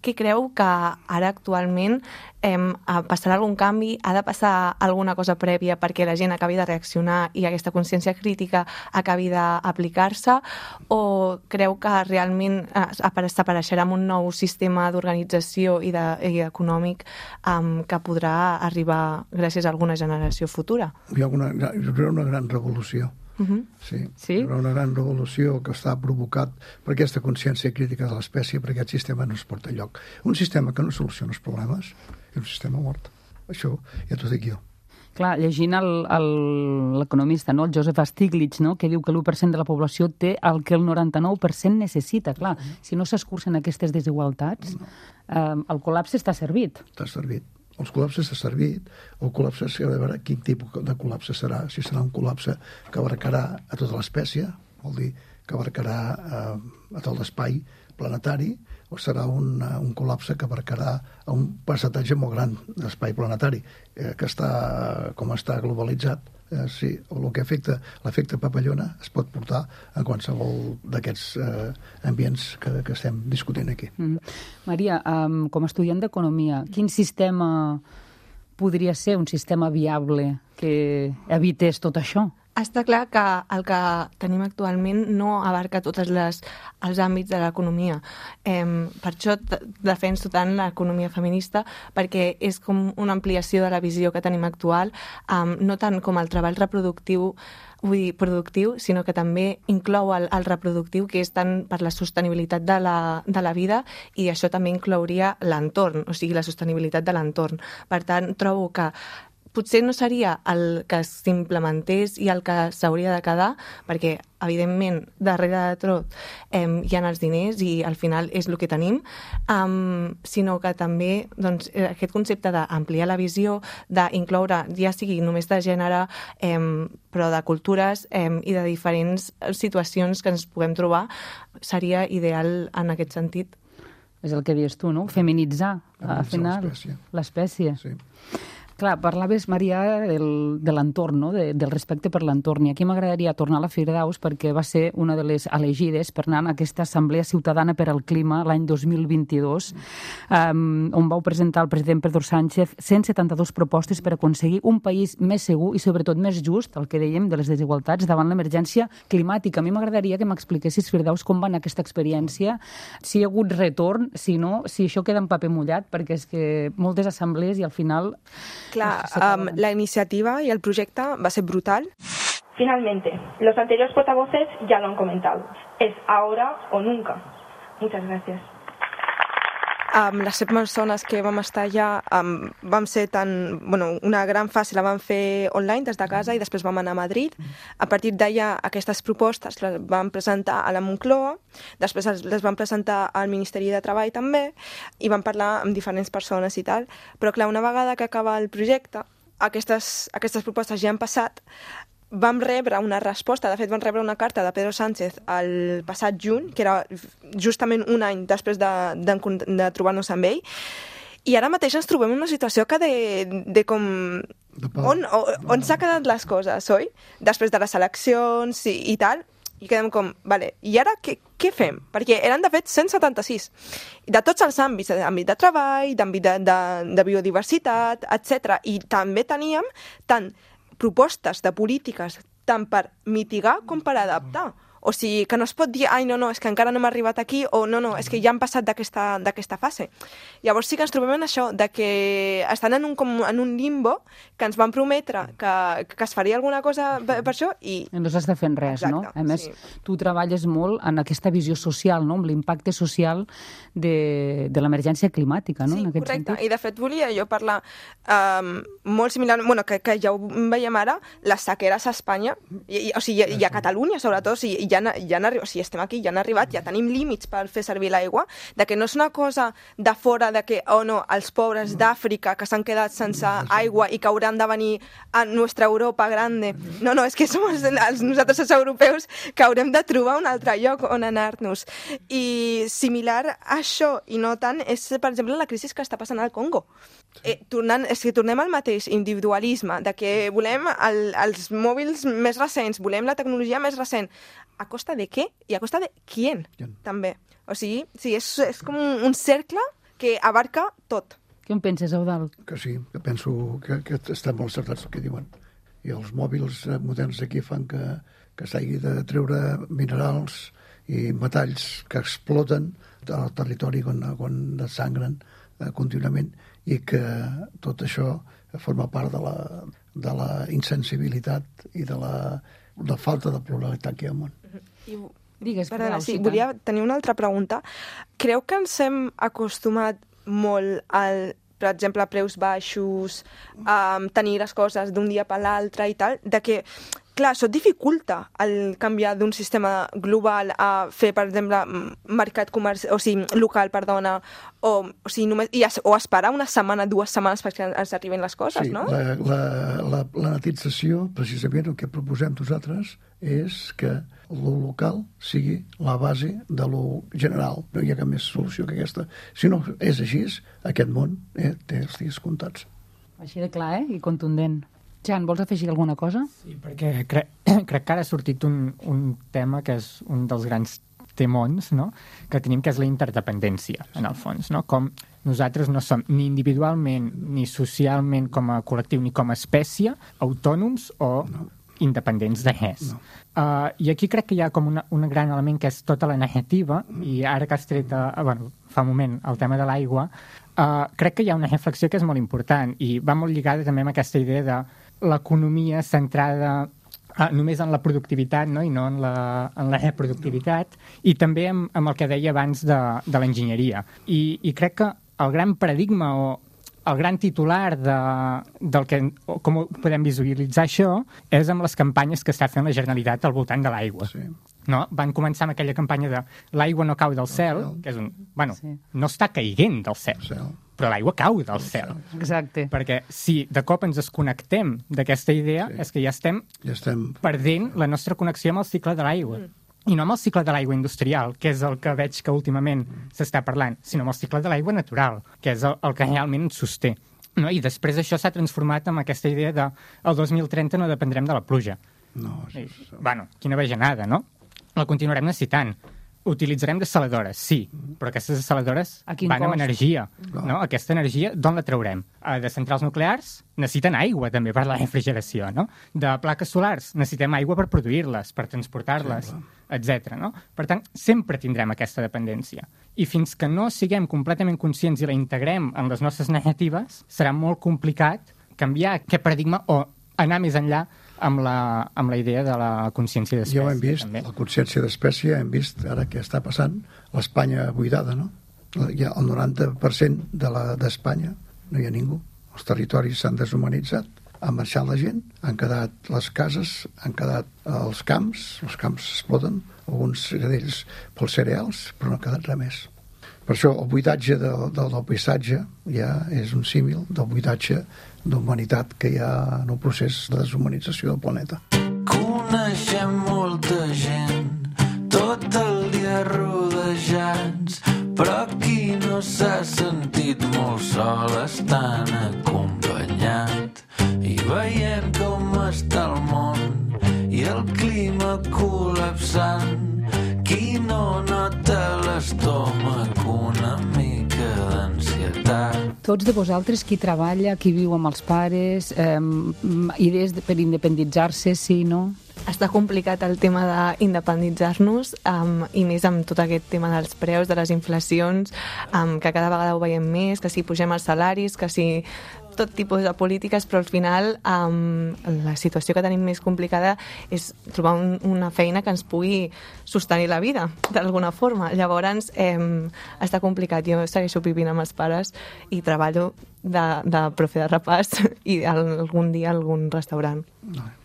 què creu que ara actualment eh, passarà algun canvi, ha de passar alguna cosa prèvia perquè la gent acabi de reaccionar i aquesta consciència crítica acabi d'aplicar-se, o creu que realment eh, s'apareixerà amb un nou sistema d'organització i, de, i econòmic eh, que podrà arribar gràcies a alguna generació futura? Hi ha una, hi haurà una gran revolució. Uh-huh. Sí, sí? Hi haurà una gran revolució que està provocat per aquesta consciència crítica de l'espècie, perquè aquest sistema no es porta enlloc. Un sistema que no soluciona els problemes és un sistema mort. Això ja t'ho dic jo. Clar, llegint l'economista, no? El Joseph Stiglitz, no? Que diu que l'u per cent de la població té el que el noranta-nou per cent necessita. Clar, si no s'escurcen aquestes desigualtats, no. eh, el col·lapse està servit. Està servit. Els col·lapses s'ha servit, el col·lapse s'ha de veure quin tipus de col·lapse serà. Si serà un col·lapse que abarcarà a tota l'espècie, vol dir que abarcarà eh, a tot l'espai planetari, o serà un, un col·lapse que abarcarà un percentatge molt gran d'espai planetari, eh, que està, com està globalitzat. Eh, sí, el que afecta l'efecte papallona es pot portar a qualsevol d'aquests eh, ambients que, que estem discutint aquí. Mm. Maria, um, com a estudiant d'economia, quin sistema podria ser un sistema viable que evités tot això? Està clar que el que tenim actualment no abarca tots els àmbits de l'economia. Eh, per això defenso tant l'economia feminista, perquè és com una ampliació de la visió que tenim actual, eh, no tant com el treball reproductiu, vull dir, productiu, sinó que també inclou el, el reproductiu, que és tant per la sostenibilitat de la, de la vida, i això també inclouria l'entorn, o sigui, la sostenibilitat de l'entorn. Per tant, trobo que potser no seria el que s'implementés i el que s'hauria de quedar, perquè, evidentment, darrere de tot eh, hi ha els diners i al final és el que tenim, um, sinó que també doncs, aquest concepte d'ampliar la visió, d'incloure, ja sigui només de gènere, eh, però de cultures eh, i de diferents situacions que ens puguem trobar, seria ideal en aquest sentit. És el que dius tu, no? Feminitzar, al final, l'espècie. Sí. Clar, parlaves, Maria, del, de l'entorn, no? de, del respecte per l'entorn. I aquí m'agradaria tornar a la Firdaus perquè va ser una de les elegides per anar a aquesta Assemblea Ciutadana per al Clima l'any dos mil vint-i-dos, um, on vau presentar el president Pedro Sánchez cent setanta-dues propostes per aconseguir un país més segur i sobretot més just, el que dèiem, de les desigualtats davant l'emergència climàtica. A mi m'agradaria que m'expliquessis, Firdaus, com va anar aquesta experiència, si hi ha hagut retorn, si no, si això queda en paper mullat, perquè és que moltes assemblees i al final... Clar, um, la iniciativa y el proyecto va a ser brutal. Finalmente, los anteriores portavoces ya lo han comentado. Es ahora o nunca. Muchas gracias. Um, les set persones que vam estar allà um, vam ser tan... Bueno, una gran fase la vam fer online des de casa i després vam anar a Madrid. A partir d'allà aquestes propostes les vam presentar a la Moncloa, després les vam presentar al Ministeri de Treball també i vam parlar amb diferents persones i tal. Però clar, una vegada que acaba el projecte, aquestes, aquestes propostes ja han passat, vam rebre una resposta, de fet vam rebre una carta de Pedro Sánchez el passat juny, que era justament un any després de, de, de trobar-nos amb ell, i ara mateix ens trobem en una situació que de, de com... De on on, on s'ha quedat les coses, oi? Després de les eleccions i, i tal, i quedem com, vale, i ara què, què fem? Perquè eren de fet cent setanta-sis, de tots els àmbits, d'àmbit de treball, d'àmbit de, de, de biodiversitat, etcètera. I també teníem tant propostes de polítiques tant per mitigar com per adaptar. O sigui, que no es pot dir, ai, no, no, és que encara no hem arribat aquí, o no, no, és que ja han passat d'aquesta fase. Llavors sí que ens trobem en això, de que estan en un, com, en un limbo, que ens van prometre que, que es faria alguna cosa per, per això, i... No s'està fent res, exacte, no? A més, sí. Tu treballes molt en aquesta visió social, no? Amb l'impacte social de, de l'emergència climàtica, no? Sí, en aquest correcte. sentit. I de fet volia jo parlar um, molt similar, bueno, que, que ja ho veiem ara, les sequeres a Espanya, i, i, o sigui, i a Catalunya, sobretot, o sigui, ja, ja han arribat, o sigui, estem aquí, ja han arribat, ja tenim límits per fer servir l'aigua, de que no és una cosa de fora, de que, oh no, els pobres d'Àfrica que s'han quedat sense aigua i que hauran de venir a nostra Europa grande. No, no, és que som els, els, nosaltres els europeus que haurem de trobar un altre lloc on anar-nos. I similar a això, i no tant, és, per exemple, la crisi que està passant al Congo. Eh, tornant, és que tornem al mateix individualisme, de que volem el, els mòbils més recents, volem la tecnologia més recent. A costa de què? I a costa de quién, també. O sigui, sí, és, és com un, un cercle que abarca tot. Què en penses, Eudald? Que sí, que penso que, que estan molt acertats el que diuen. I els mòbils moderns aquí fan que, que s'hagi de treure minerals i metalls que exploten al territori quan, quan desangren eh, contínuament, i que tot això forma part de la, de la insensibilitat i de la, de la falta de pluralitat que hi ha al món. I, Digues, perdona, sí, Cita. volia tenir una altra pregunta. Creu que ens hem acostumat molt al, per exemple, preus baixos, a tenir les coses d'un dia per l'altre i tal, de que, clar, això dificulta el canviar d'un sistema global a fer, per exemple, mercat comerci... o sigui, local, perdona, o, o, sigui, només, i es, o esperar una setmana, dues setmanes perquè ens arriben les coses, sí, no? La, la, la planetització, precisament el que proposem nosaltres, és que lo local sigui la base de lo general. No hi ha cap més solució que aquesta. Si no és així, aquest món eh, té els dies comptats. Així de clar, eh? I contundent. Jan, vols afegir alguna cosa? Sí, perquè cre crec que ara ha sortit un, un tema que és un dels grans temons, no?, que tenim, que és la interdependència, en el fons, no? Com nosaltres no som ni individualment ni socialment com a col·lectiu ni com a espècie autònoms o no. independents de res. No. Uh, I aquí crec que hi ha com una, un gran element que és tota la negativa, i ara que has tret, uh, bueno, fa un moment, el tema de l'aigua, uh, crec que hi ha una reflexió que és molt important i va molt lligada també amb aquesta idea de l'economia centrada uh, només en la productivitat, no?, i no en la, en la reproductivitat, i també amb, amb el que deia abans de, de l'enginyeria. I, I crec que el gran paradigma o el gran titular de, del que, com podem visualitzar això, és amb les campanyes que està fent la Generalitat al voltant de l'aigua. Sí. No? Van començar amb aquella campanya de l'aigua no cau del cel, que és un... Bueno, sí. no està caiguent del cel, cel. però l'aigua cau del cel. Exacte. Perquè si de cop ens desconnectem d'aquesta idea, sí. és que ja estem, ja estem perdent la nostra connexió amb el cicle de l'aigua. Mm. I no amb el cicle de l'aigua industrial, que és el que veig que últimament s'està parlant, sinó amb el cicle de l'aigua natural, que és el, el que realment ens sosté. No? I després això s'ha transformat en aquesta idea de el dos mil trenta no dependrem de la pluja. No, I, bueno, quina bajanada, no? La continuarem necessitant. Utilitzarem dessaladores, sí, però aquestes dessaladores van amb energia. No? Aquesta energia, d'on la traurem? De centrals nuclears necessiten aigua també per la refrigeració, no? De plaques solars necessitem aigua per produir-les, per transportar-les, sí, etcètera. No? Per tant, sempre tindrem aquesta dependència. I fins que no siguem completament conscients i la integrem en les nostres negatives, serà molt complicat canviar aquest paradigma o anar més enllà amb la, amb la idea de la consciència d'espècie. Ja ho hem vist, també. La consciència d'espècie, hem vist ara què està passant, l'Espanya buidada, no? Hi ha el noranta per cent de d'Espanya, no hi ha ningú. Els territoris s'han deshumanitzat, han marxat la gent, han quedat les cases, han quedat els camps, els camps exploten, alguns d'ells pels cereals, però no ha quedat res més. Per això el buidatge del, del, del paisatge ja és un símil del buidatge d'humanitat que hi ha en el procés de deshumanització del planeta. Coneixem molta gent, tot el dia rodejats, però qui no s'ha sentit molt sol estan acompanyat. I veient com està el món i el clima col·lapsant, qui no nota l'estómac una mica d'ansietat. Tots de vosaltres, qui treballa, qui viu amb els pares, eh, idees per independitzar-se, sí, no? Està complicat el tema d'independitzar-nos um, i més amb tot aquest tema dels preus, de les inflacions, um, que cada vegada ho veiem més, que si pugem els salaris, que si tot tipus de polítiques, però al final um, la situació que tenim més complicada és trobar un, una feina que ens pugui sostenir la vida, d'alguna forma. Llavors, eh, està complicat. Jo segueixo vivint amb els pares i treballo de, de profe de repàs i algun dia algun restaurant.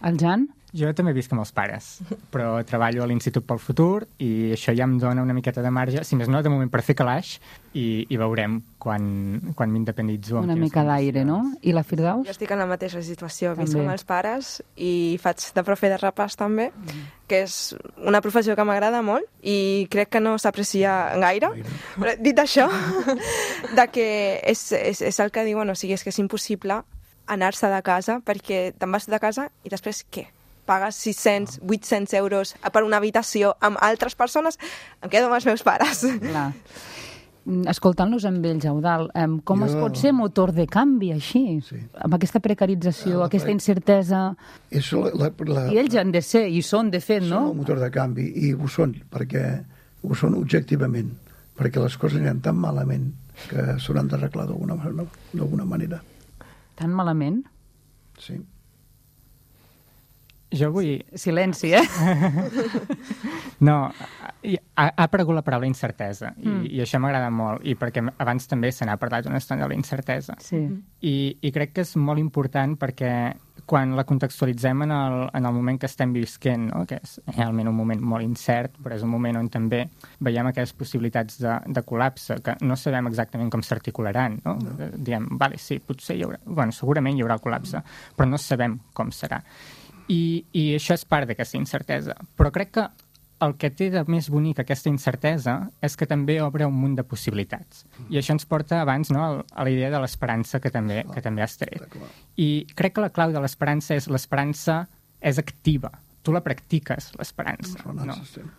El Jan? Jo també visc amb els pares, però treballo a l'Institut pel Futur i això ja em dona una miqueta de marge, si més no, de moment per fer calaix, i, i veurem quan, quan m'independitzo. Una mica d'aire, no? I la Firdaus? Jo estic en la mateixa situació, visc També. amb els pares i faig de profe de repàs també, mm. que és una professió que m'agrada molt i crec que no s'aprecia gaire. Però, dit això, de que és, és, és el que diuen, o sigui, és que és impossible anar-se de casa perquè te'n vas de casa i després què? Pagues sis-cents, vuit-cents euros per una habitació amb altres persones, em quedo amb els meus pares. Clar. escoltant-los amb ells, Eudald, com jo... es pot ser motor de canvi així? Sí. Amb aquesta precarització, la aquesta incertesa... És la, la, la... I ells han de ser, i són, de fet, són no? Són el motor de canvi, i ho són, perquè ho són objectivament, perquè les coses aniran tan malament que s'hauran d'arreglar d'alguna manera. Tan malament? Sí. Jo vull... Silenci, eh? No, ha, ha aparegut la paraula incertesa, i, mm. i això m'agrada molt, i perquè abans també se n'ha parlat una estona de la incertesa. Sí. I, I crec que és molt important perquè quan la contextualitzem en el, en el moment que estem visquent, no? Que és realment un moment molt incert, però és un moment on també veiem aquestes possibilitats de, de col·lapse, que no sabem exactament com s'articularan, no? No. Diem, vale, sí, potser hi haurà... Bueno, segurament hi haurà col·lapse, però no sabem com serà. I, i això és part d'aquesta incertesa. Però crec que el que té de més bonic aquesta incertesa és que també obre un munt de possibilitats. I això ens porta abans, no, a la idea de l'esperança que també, que també has tret. I crec que la clau de l'esperança és l'esperança és activa. Tu la practiques, l'esperança. No,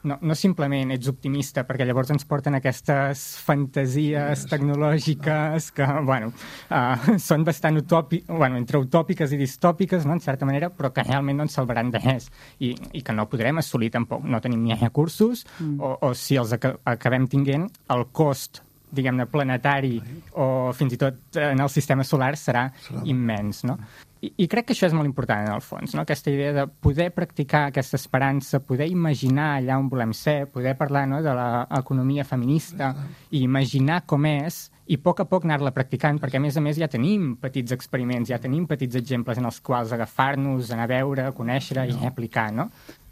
no, no simplement ets optimista, perquè llavors ens porten aquestes fantasies tecnològiques que, bueno, uh, són bastant utòpiques, bueno, entre utòpiques i distòpiques, no?, en certa manera, però que realment no ens salvaran de res i, i que no podrem assolir tampoc. No tenim ni recursos, mm. o, o si els ac acabem tinguent, el cost diguem-ne, planetari o fins i tot en el sistema solar serà immens, no? I, I crec que això és molt important, en el fons, no? Aquesta idea de poder practicar aquesta esperança, poder imaginar allà on volem ser, poder parlar, no?, de l'economia feminista i imaginar com és i a poc a poc anar-la practicant, perquè a més a més ja tenim petits experiments, ja tenim petits exemples en els quals agafar-nos, anar a veure, conèixer i aplicar, no?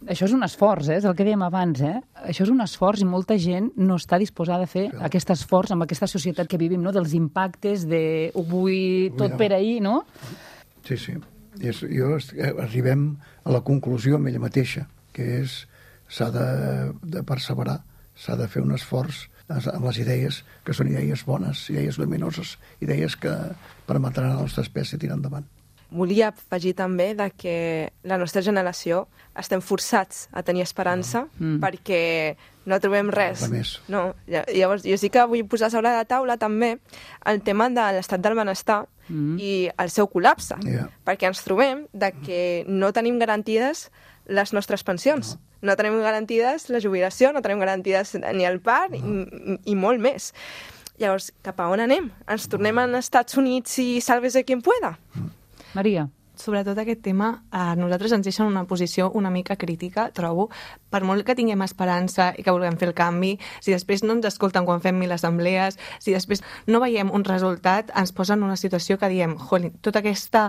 Això és un esforç, eh? És el que dèiem abans, eh? Això és un esforç i molta gent no està disposada a fer sí. aquest esforç amb aquesta societat que vivim, no? Dels impactes de ho vull tot per ahir, no? Sí, sí. És, jo, arribem a la conclusió amb ella mateixa, que és s'ha de, de perseverar, s'ha de fer un esforç amb les idees, que són idees bones, idees luminoses, idees que permetran a la nostra espècie tirar endavant. Volia afegir també de que la nostra generació estem forçats a tenir esperança mm. perquè no trobem res. No, llavors, jo sí que vull posar sobre la taula també el tema de l'estat del benestar mm. i el seu col·lapse, yeah. perquè ens trobem de que no tenim garantides les nostres pensions. No, no tenim garantides la jubilació, no tenim garantides ni el P A R no. i, i molt més. Llavors, cap a on anem? Ens tornem als Estats Units i sálvese quien pueda? Maria. Sobretot aquest tema, a nosaltres ens deixa en una posició una mica crítica, trobo, per molt que tinguem esperança i que vulguem fer el canvi, si després no ens escolten quan fem mil assemblees, si després no veiem un resultat, ens posa en una situació que diem, jolín, tota aquesta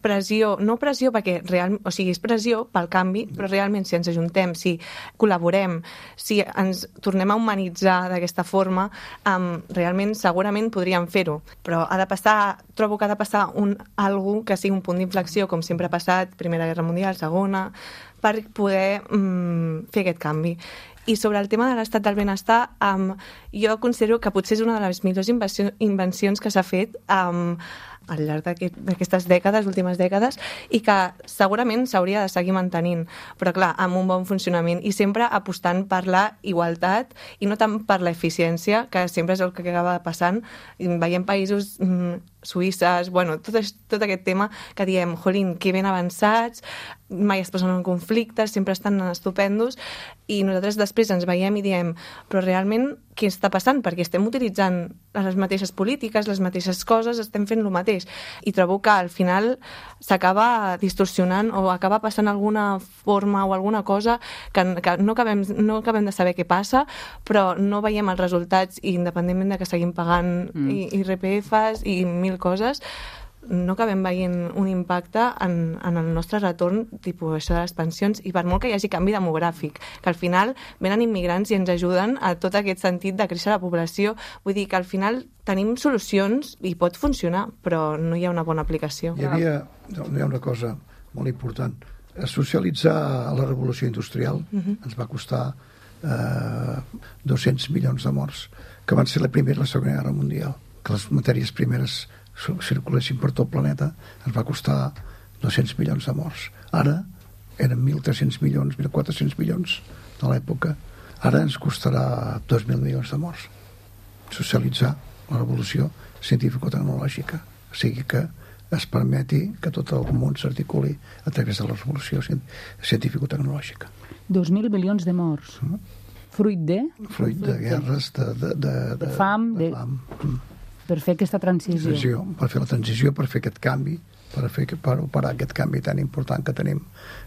pressió, no pressió perquè real, o sigui, és pressió pel canvi, però realment si ens ajuntem, si col·laborem, si ens tornem a humanitzar d'aquesta forma, um, realment segurament podríem fer-ho, però ha de passar, trobo que ha de passar un, algú que sigui un punt d'inflexió, com sempre ha passat, Primera Guerra Mundial, Segona, per poder um, fer aquest canvi. I sobre el tema de l'estat del benestar, um, jo considero que potser és una de les millors invencions que s'ha fet um, al llarg d'aquestes dècades, últimes dècades, i que segurament s'hauria de seguir mantenint, però clar, amb un bon funcionament i sempre apostant per la igualtat i no tant per l'eficiència, que sempre és el que acaba passant. Veiem països mm, suïsses, bueno, tot, tot aquest tema que diem, jolín, que ben avançats, mai es posen en conflictes, sempre estan estupendos, i nosaltres després ens veiem i diem, però realment què està passant? Perquè estem utilitzant les mateixes polítiques, les mateixes coses, estem fent el mateix. I trobo que al final s'acaba distorsionant o acaba passant alguna forma o alguna cosa que, que no, acabem, no acabem de saber què passa, però no veiem els resultats i independentment de que seguim pagant mm. I R P Fs i mil coses, no acabem veient un impacte en, en el nostre retorn, tipus això de les pensions, i per molt que hi hagi canvi demogràfic, que al final venen immigrants i ens ajuden a tot aquest sentit de créixer la població. Vull dir que al final tenim solucions i pot funcionar, però no hi ha una bona aplicació. Hi havia, hi ha una cosa molt important. Socialitzar la revolució industrial uh-huh. ens va costar eh, dos-cents milions de morts, que van ser la Primera i la Segona Guerra Mundial, que les matèries primeres circulessin per tot el planeta, ens va costar dos-cents milions de morts. Ara eren mil tres-cents milions, mil quatre-cents milions de l'època. Ara ens costarà dos mil milions de morts. socialitzar la revolució científico-tecnològica, o sigui que es permeti que tot el món s'articuli a través de la revolució científico-tecnològica. Dos mil milions de morts. Mm. Fruit de? Fruit de guerres, de, de, de, de, de fam, de, de... fam. Mm. Per fer aquesta transició. transició. Per fer la transició, per fer aquest canvi, per, fer, per operar aquest canvi tan important que tenim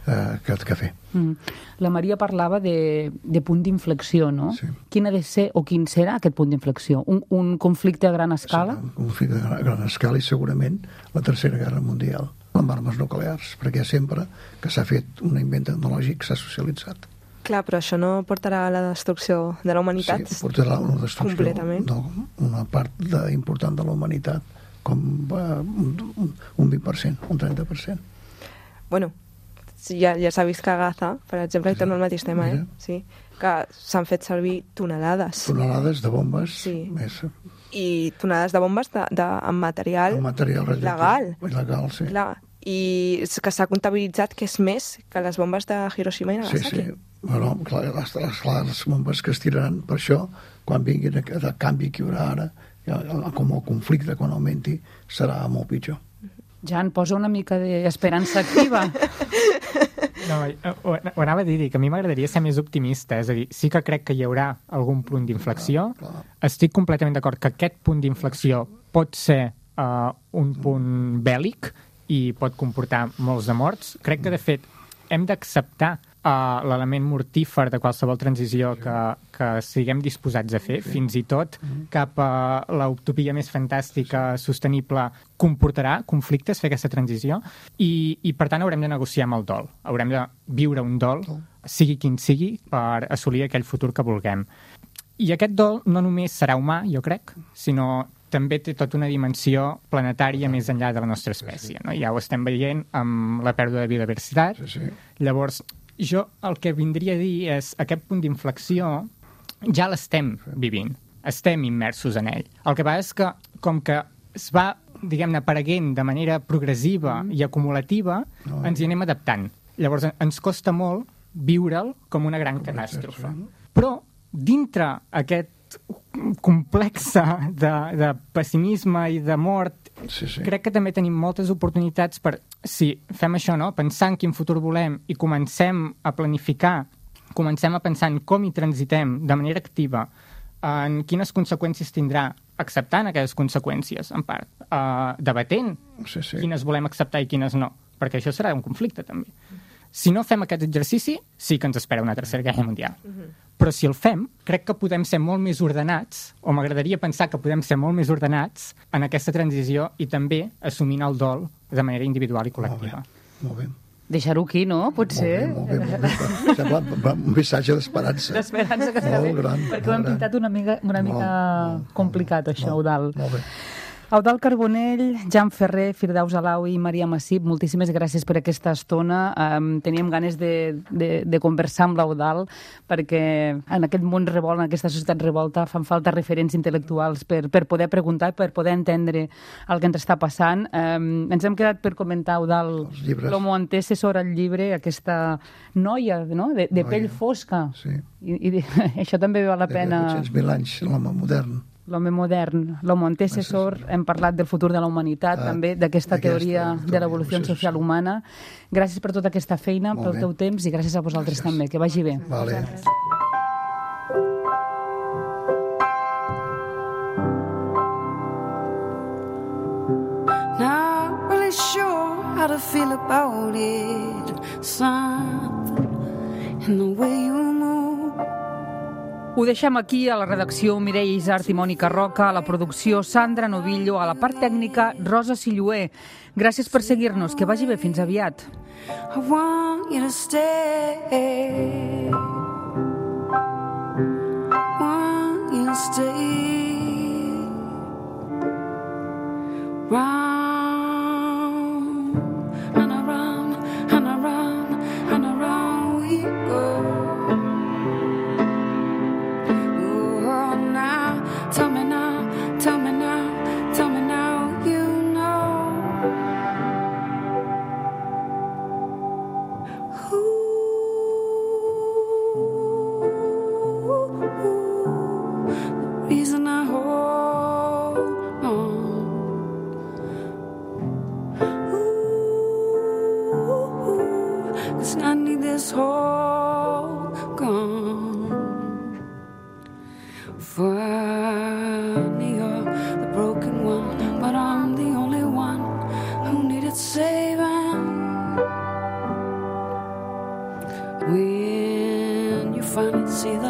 eh, que, que fer. Mm. La Maria parlava de, de punt d'inflexió, no? Sí. Quin ha de ser o quin serà aquest punt d'inflexió? Un, un conflicte a gran escala? Sí, un conflicte a gran escala i segurament la Tercera Guerra Mundial amb armes nuclears, perquè sempre que s'ha fet un invent tecnològic s'ha socialitzat. Clar, però això no portarà a la destrucció de la humanitat? Sí, portarà a una destrucció completament. Una part de, important de la humanitat, com uh, un, un vint per cent, un trenta per cent. Bueno, ja, ja s'ha vist que a Gaza, per exemple, hi torno al mateix tema, eh? Sí, que s'han fet servir tonelades. Tonelades de bombes. Sí. Més. I tonelades de bombes de, de, amb material, amb material legal. Legal, sí. Clar. I que s'ha comptabilitzat que és més que les bombes de Hiroshima i Nagasaki. Sí, sí. Bueno, clar, les, les, les bombes que es tiraran per això, quan vinguin el canvi que hi haurà ara, com el conflicte, quan augmenti, serà molt pitjor. Jan, posa una mica d'esperança activa. No, ho, ho anava a dir, que a mi m'agradaria ser més optimista, és a dir, sí que crec que hi haurà algun punt d'inflexió. Clar, clar. Estic completament d'acord que aquest punt d'inflexió pot ser uh, un punt bèl·lic i pot comportar molts de morts. Crec que, de fet, hem d'acceptar uh, l'element mortífer de qualsevol transició que, que siguem disposats a fer, fins i tot cap a l'utopia més fantàstica, sostenible, comportarà conflictes fer aquesta transició i, i per tant haurem de negociar amb el dol. Haurem de viure un dol, sigui quin sigui, per assolir aquell futur que vulguem. I aquest dol no només serà humà, jo crec, sinó també té tota una dimensió planetària més enllà de la nostra espècie. No? Ja ho estem veient amb la pèrdua de biodiversitat. Sí, sí. Llavors, jo el que vindria a dir és aquest punt d'inflexió ja l'estem vivint, estem immersos en ell. El que passa és que, com que es va, diguem-ne, apareguent de manera progressiva mm. i acumulativa, no, ens hi anem adaptant. Llavors, ens costa molt viure'l com una gran catàstrofe. Però, dintre aquest complexa de, de pessimisme i de mort, sí, sí. crec que també tenim moltes oportunitats per, si fem això, no? Pensar en quin futur volem i comencem a planificar, comencem a pensar en com hi transitem de manera activa, en quines conseqüències tindrà, acceptant aquelles conseqüències, en part, uh, debatent sí, sí. quines volem acceptar i quines no, perquè això serà un conflicte, també. Si no fem aquest exercici, sí que ens espera una tercera guerra mundial. Uh-huh. Però si el fem, crec que podem ser molt més ordenats, o m'agradaria pensar que podem ser molt més ordenats en aquesta transició i també assumint el dol de manera individual i col·lectiva. Molt bé, molt bé. Deixar-ho aquí, no? Potser. Molt bé, molt bé. Molt bé. Sembla un missatge d'esperança. D'esperança que està bé. Gran, perquè ho hem pintat una mica, una mica molt, complicat, això, molt, Eudald. Molt bé. Eudald Carbonell, Jan Ferrer, Firdaus Alaoui i Maria Massip, moltíssimes gràcies per aquesta estona. Um, teníem ganes de, de, de conversar amb l'Eudald perquè en aquest món revolt, en aquesta societat revolta, fan falta referents intel·lectuals per, per poder preguntar, per poder entendre el que ens està passant. Um, ens hem quedat per comentar, Eudald, l'Homo Antecessor, el llibre, aquesta noia, no?, de, de noia. Pell fosca. Sí. I, i de, això també val la pena... De vuit-cents mil anys, l'home modern. L'home modern, l'homo antecessor, hem parlat del futur de la humanitat, ah, també d'aquesta teoria de l'evolució social humana. Gràcies per tota aquesta feina, molt pel bé. Teu temps, i gràcies a vosaltres gràcies. També. Que vagi bé. Vale. Not really sure how to feel about it. Something in the way you move. Ho deixem aquí, a la redacció Mireia Isart i Mònica Roca, a la producció Sandra Novillo, a la part tècnica Rosa Silluer. Gràcies per seguir-nos, que vagi bé, fins aviat. I want you to stay. Want you to stay. Round and around and around and around we go. Tell me now, tell me now, tell me now, you know. Ooh, the reason I hold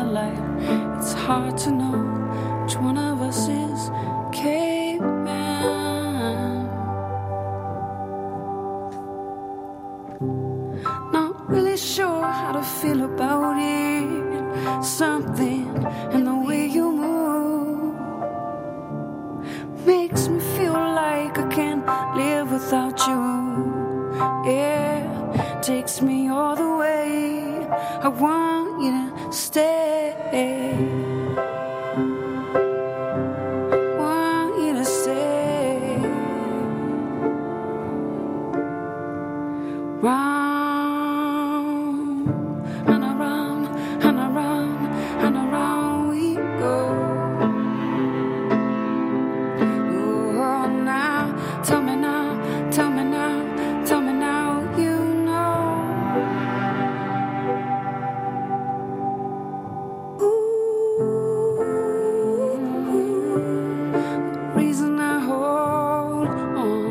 light. It's hard to know which one of us is caveman. Not really sure how to feel about it. Something in the way you move makes me feel like I can't live without you. Yeah, takes me all the way. I want you to stay. Want you to stay. Round and around and around and around we go. Oh, now, tell me now, tell me now, tell me now, you know. Reason I hold on.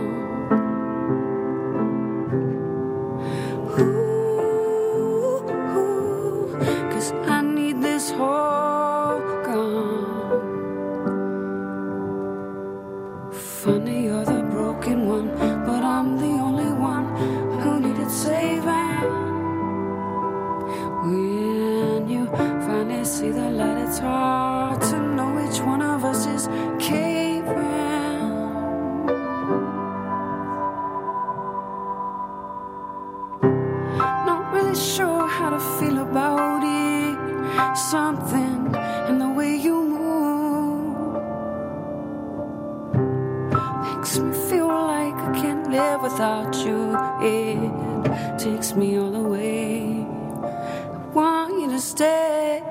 Ooh, ooh, 'cause I need this whole gone. Funny, you're the broken one, but I'm the only one who needed saving. When you finally see the light, it's hard to know which one of us is caving. Not really sure how to feel about it. Something in the way you move makes me feel like I can't live without you. It takes me all the way. I want you to stay.